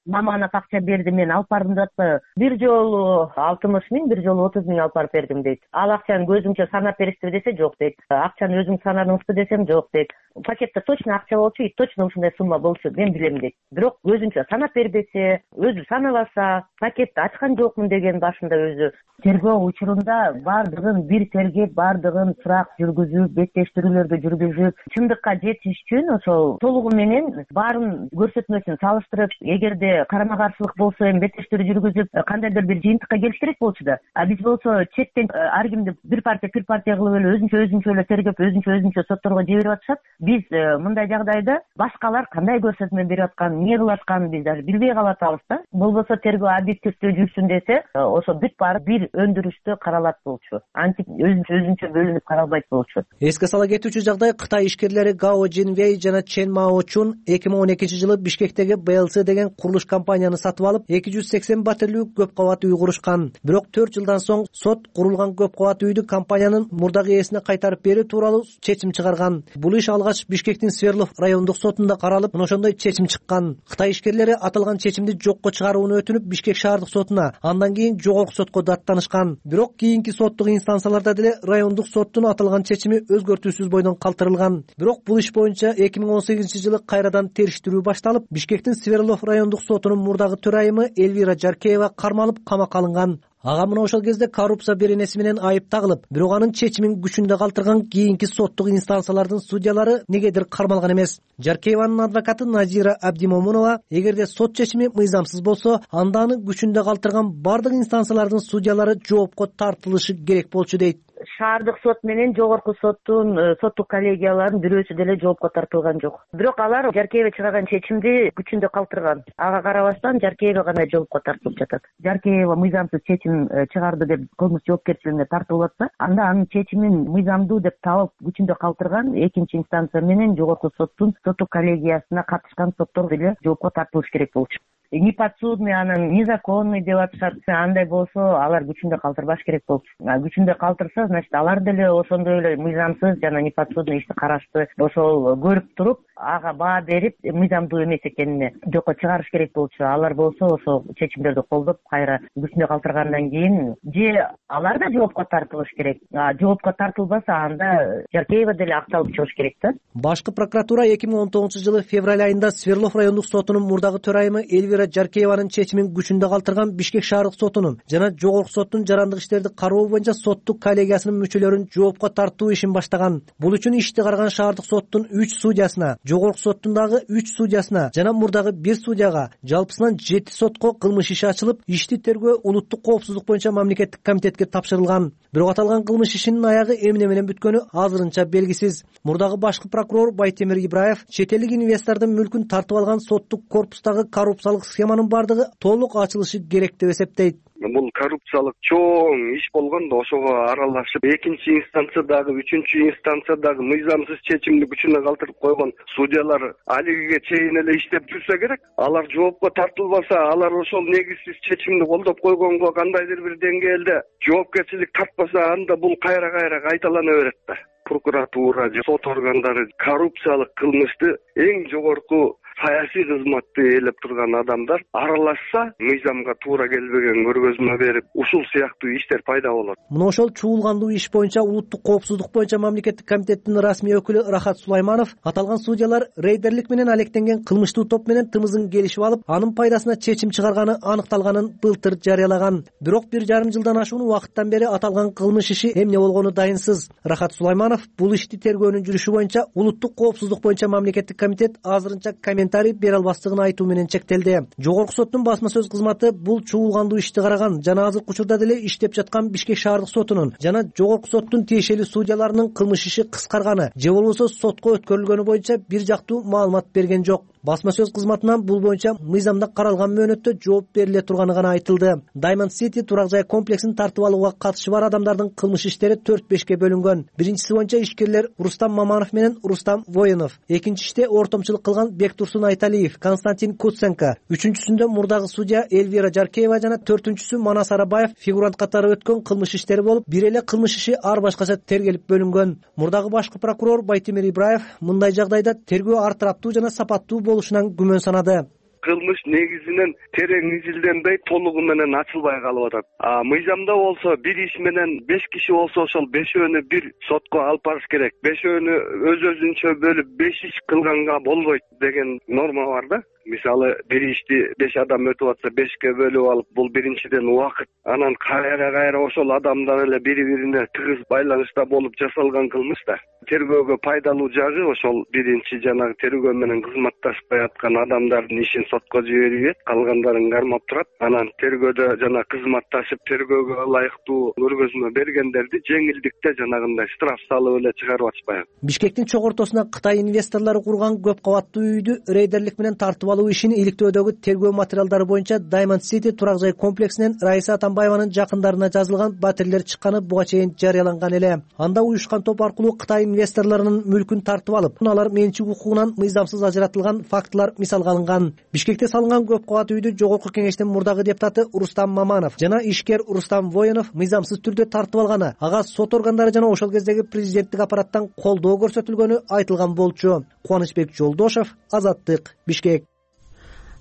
Маманов акча берди, мен алып бардым деп атпайбы? Бир жолу 60 миң, бир жолу 30 миң алып барып бердим дейт. Ал акчаны көзүңчө санап бересизби десе жок дейт. Акчаны өзүң санадыңызбы десем жок дейт. Пакетте точно акча болчу, и точно ушундай сумма болчу, мен билем дейт. Бирок өзүнчө санап бербесе, өзү санабаса, пакетти ачкан жокмун деген башында өзү. Тергөө учурунда бардыгын бир тергеп, бардыгын сурак жүргүзүп, беттештирүүлөрдү жүргүзүп, чындыкка жетиш үчүн ошол толугу менен баарын көрсөтмөсүн салыштырып, эгерде карама каршылык болсо эми беттештирүү жүргүзүп, кандайдыр бир жыйынтыкка келиш керек болчу да. Биз болсо четтен ар кимди бир партия кылып эле өзүнчө эле тергеп, өзүнчө сотторго жиберип атышат. Биз мындай жагдайда башкалар кандай көрсөтмө берип атканын, эмне кылып атканын биз даже билбей калатабыз да. Болбосо тергөө объективдүү жүрсүн десе, ошо бүт баары бир өндүрүштө каралат болчу. Антип өзүнчө бөлүнүп каралбайт болчу. Эске сала кетүүчү жагдай, Кытай ишкерлери Гао Жинвей жана Чен Маочун 2012-жылы Бишкектеги BLC деген курулуш компанияны сатып алып, 280 батирлүү көп кабат үй курушкан. Бирок 4 жылдан соң сот курулган көп кабат үйдү компаниянын мурдагы ээсине кайтарып берүү тууралуу чечим чыгарган. Бул иш алгач Бишкектин Сверлов райондук сотунда каралып, ошондой чечим чыккан. Кытай ишкерлери аталган чечимди жокко чыгарууну өтүнүп Бишкек шаардык сотуна, андан кийин жогорку сотко даттанышкан. Бирок кийинки соттук инстанцияларда деле райондук соттун аталган чечими өзгөртүүсүз бойдон калтырылган. Бирок бул иш боюнча 2018-жылы кайрадан териштирүү башталып, Бишкектин Сверлов райондук сотунун мурдагы төрайымы Эльвира Жаркеева кармалып камакка алынган. Ага мына ошол кезде коррупция беренеси менен айып тагылып, бирок анын чечимин күчүндө калтырган кийинки соттук инстанциялардын судьялары негедир кармалган эмес. Жаркееванын адвокаты Назира Абдимомунова, эгерде сот чечими мыйзамсыз болсо, анда аны күчүндө калтырган бардык инстанциялардын судьялары жоопко тартылышы керек болчу дейт. Шаардык сот менен жогорку соттун соттук коллегияларынын бирөөсү деле жоопко тартылган жок. Бирок алар Жаркеева чыгарган чечимди күчүндө калтырган. Ага карабастан Жаркеева гана жоопко тартылып жатат. Жаркеева мыйзамсыз чечим чыгарды деп кылмыш жоопкерчилигине тартылып атса, анда анын чечимин мыйзамдуу деп табып күчүндө калтырган экинчи инстанция менен жогорку соттун соттук коллегиясына катышкан соттор деле жоопко тартылыш керек болчу. Неподсудный, анан незаконный деп атышат. Андай болсо, алар күчүндө калтырбаш керек болчу. Күчүндө калтырса, значит, алар деле ошондой эле мыйзамсыз жана неподсудный ишти карашты. Ошол көрүп туруп, ага баа берип, мыйзамдуу эмес экенине жокко чыгарыш керек болчу. Алар болсо, ошол чечимдерди колдоп, кайра күчүндө калтыргандан кийин же алар да жоопко тартылыш керек. Жоопко тартылбаса, анда Жаркеева деле акталып чыгыш керек да. Башкы прокуратура 2019-жылы февраль айында Сверлов райондук сотунун мурдагы төрайымы Эльвира Жаркееванын чечимин күчүндө калтырган Бишкек шаардык сотунун жана жогорку соттун жарандык иштерди кароо боюнча соттук коллегиясынын мүчөлөрүн жоопко тартуу ишин баштаган. Бул үчүн ишти караган шаардык соттун 3 судьясына, жогорку соттун дагы 3 судьясына жана мурдагы 1 судьяга жалпысынан 7 сотко кылмыш иши ачылып, ишти тергөө улуттук коопсуздук боюнча мамлекеттик комитетке тапшырылган. Бирок аталган кылмыш ишинин аягы эмне менен бүткөнү азырынча белгисиз. Мурдагы башкы прокурор Байтемир Ибраев чет элдик инвестордун мүлкүн тартып алган соттук корпустагы коррупциялык схеманын бардыгы толук ачылышы керек деп эсептейт. Бул коррупциялык чоң иш болгондо ошого аралашып, экинчи инстанциядагы, үчүнчү инстанциядагы мыйзамсыз чечимди күчүнө калтырып койгон судьялар алигиге чейин эле иштеп жүрсө керек. Алар жоопко тартылбаса, алар ошол негизсиз чечимди колдоп койгонго кандайдыр бир деңгээлде жоопкерчилик тартпаса, анда бул кайра кайталана берет да. Прокуратура, сот органдары коррупциялык кылмышты эң жогорку саясий кызматты ээлеп турган адамдар аралашса, мыйзамга туура келбеген көргөзмө берип, ушул сыяктуу иштер пайда болот. Мына ошол чуулгандуу иш боюнча улуттук коопсуздук боюнча мамлекеттик комитеттин расмий өкүлү Рахат Сулайманов аталган судьялар рейдерлик менен алектенген кылмыштуу топ менен тымызын келишип алып, анын пайдасына чечим чыгарганы аныкталганын былтыр жарыялаган. Бирок 1,5 жылдан ашуун убакыттан бери аталган кылмыш иши эмне болгону дайынсыз. Рахат Сулайманов бул ишти тергөөнүн жүрүшү боюнча улуттук коопсуздук боюнча мамлекеттик комитет азырынча коммент комментарий бере албастыгын айтуу менен чектелди. Жогорку соттун басма сөз кызматы бул чуулгандуу ишти караган жана азыркы учурда деле иштеп жаткан Бишкек шаардык сотунун жана жогорку соттун тиешелүү судьяларынын кылмыш иши кыскарганы же болбосо сотко өткөрүлгөнү боюнча бир жактуу маалымат берген жок. Басма сөз кызматынан бул боюнча мыйзамда каралган мөөнөттө жооп бериле турганы гана айтылды. Diamond City турак жай комплексин тартып алууга катышы бар адамдардын кылмыш иштери 4-5ке бөлүнгөн. Биринчиси боюнча ишкерлер Рустам Маманов менен Рустам Воинов, экинчи иште ортомчулук кылган Бектурсун Айталиев, Константин Куценко, үчүнчүсүндө мурдагы судья Эльвира Жаркеева жана төртүнчүсү Манас Арабаев фигурант катары өткөн кылмыш иштери болуп, бир эле кылмыш иши ар башкача тергелип бөлүнгөн. Мурдагы башкы прокурор Байтемир Ибраев мындай жагдайда тергөө ар тараптуу жана сапаттуу болушунан күмөн санады. Кылмыш негизинен терең изилденбей толугу менен ачылбай калып атат. Мыйзамда болсо бир иш менен 5 киши болсо ошол 5өөнү бир сотко алып барыш керек. 5өөнү өз-өзүнчө бөлүп 5 иш кылганга болбойт деген норма бар да. Мисалы бир ишти 5 адам өтүп атса 5ке бөлүп алып, бул биринчиден убакыт. Анан кайра ошол адамдар эле бири-бирине тыгыз байланышта болуп жасалган кылмыш да. Тергөөгө пайдалуу жагы ошол биринчи жанагы тергөө менен кызматташпай аткан адамдардын ишин сотко жибербейт, калгандарын кармап турат. Анан тергөөдө жана кызматташып тергөөгө ылайыктуу көргөзмө бергендерди жеңилдикте жанагындай штраф салып эле чыгарып атышпайбы. Бишкектин чогортосуна Кытай инвесторлору курган көп кабаттуу үйдү рейдерлик менен тартып алуу ишин иликтөөдөгү тергөө материалдары боюнча Diamond City турак жай комплексинен Раиса Атамбаеванын жакындарына жазылган батирлер чыкканы буга чейин жарыяланган эле. Анда уюшкан топ аркылуу Кытай инвесторлорунун мүлкүн тартып алып, алар менчик укугунан мыйзамсыз ажыратылган фактылар мисалга алынган. Бишкекте салынган көп кабат үйдү жогорку кеңештин мурдагы депутаты Рустам Маманов жана ишкер Рустам Воинов мыйзамсыз түрдө тартып алганы, ага сот органдары жана ошол кездеги президенттик аппараттан колдоо көрсөтүлгөнү айтылган болчу. Кубанычбек Жолдошов, Азаттык, Бишкек.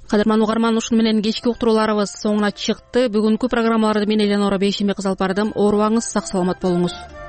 Кадырман угарман, ушуну менен кечки уктурууларыбыз соңуна чыкты. Бүгүнкү программаларды мен Эленора Бейшембек алып бардым. Оорубаңыз, сак саламат болуңуз.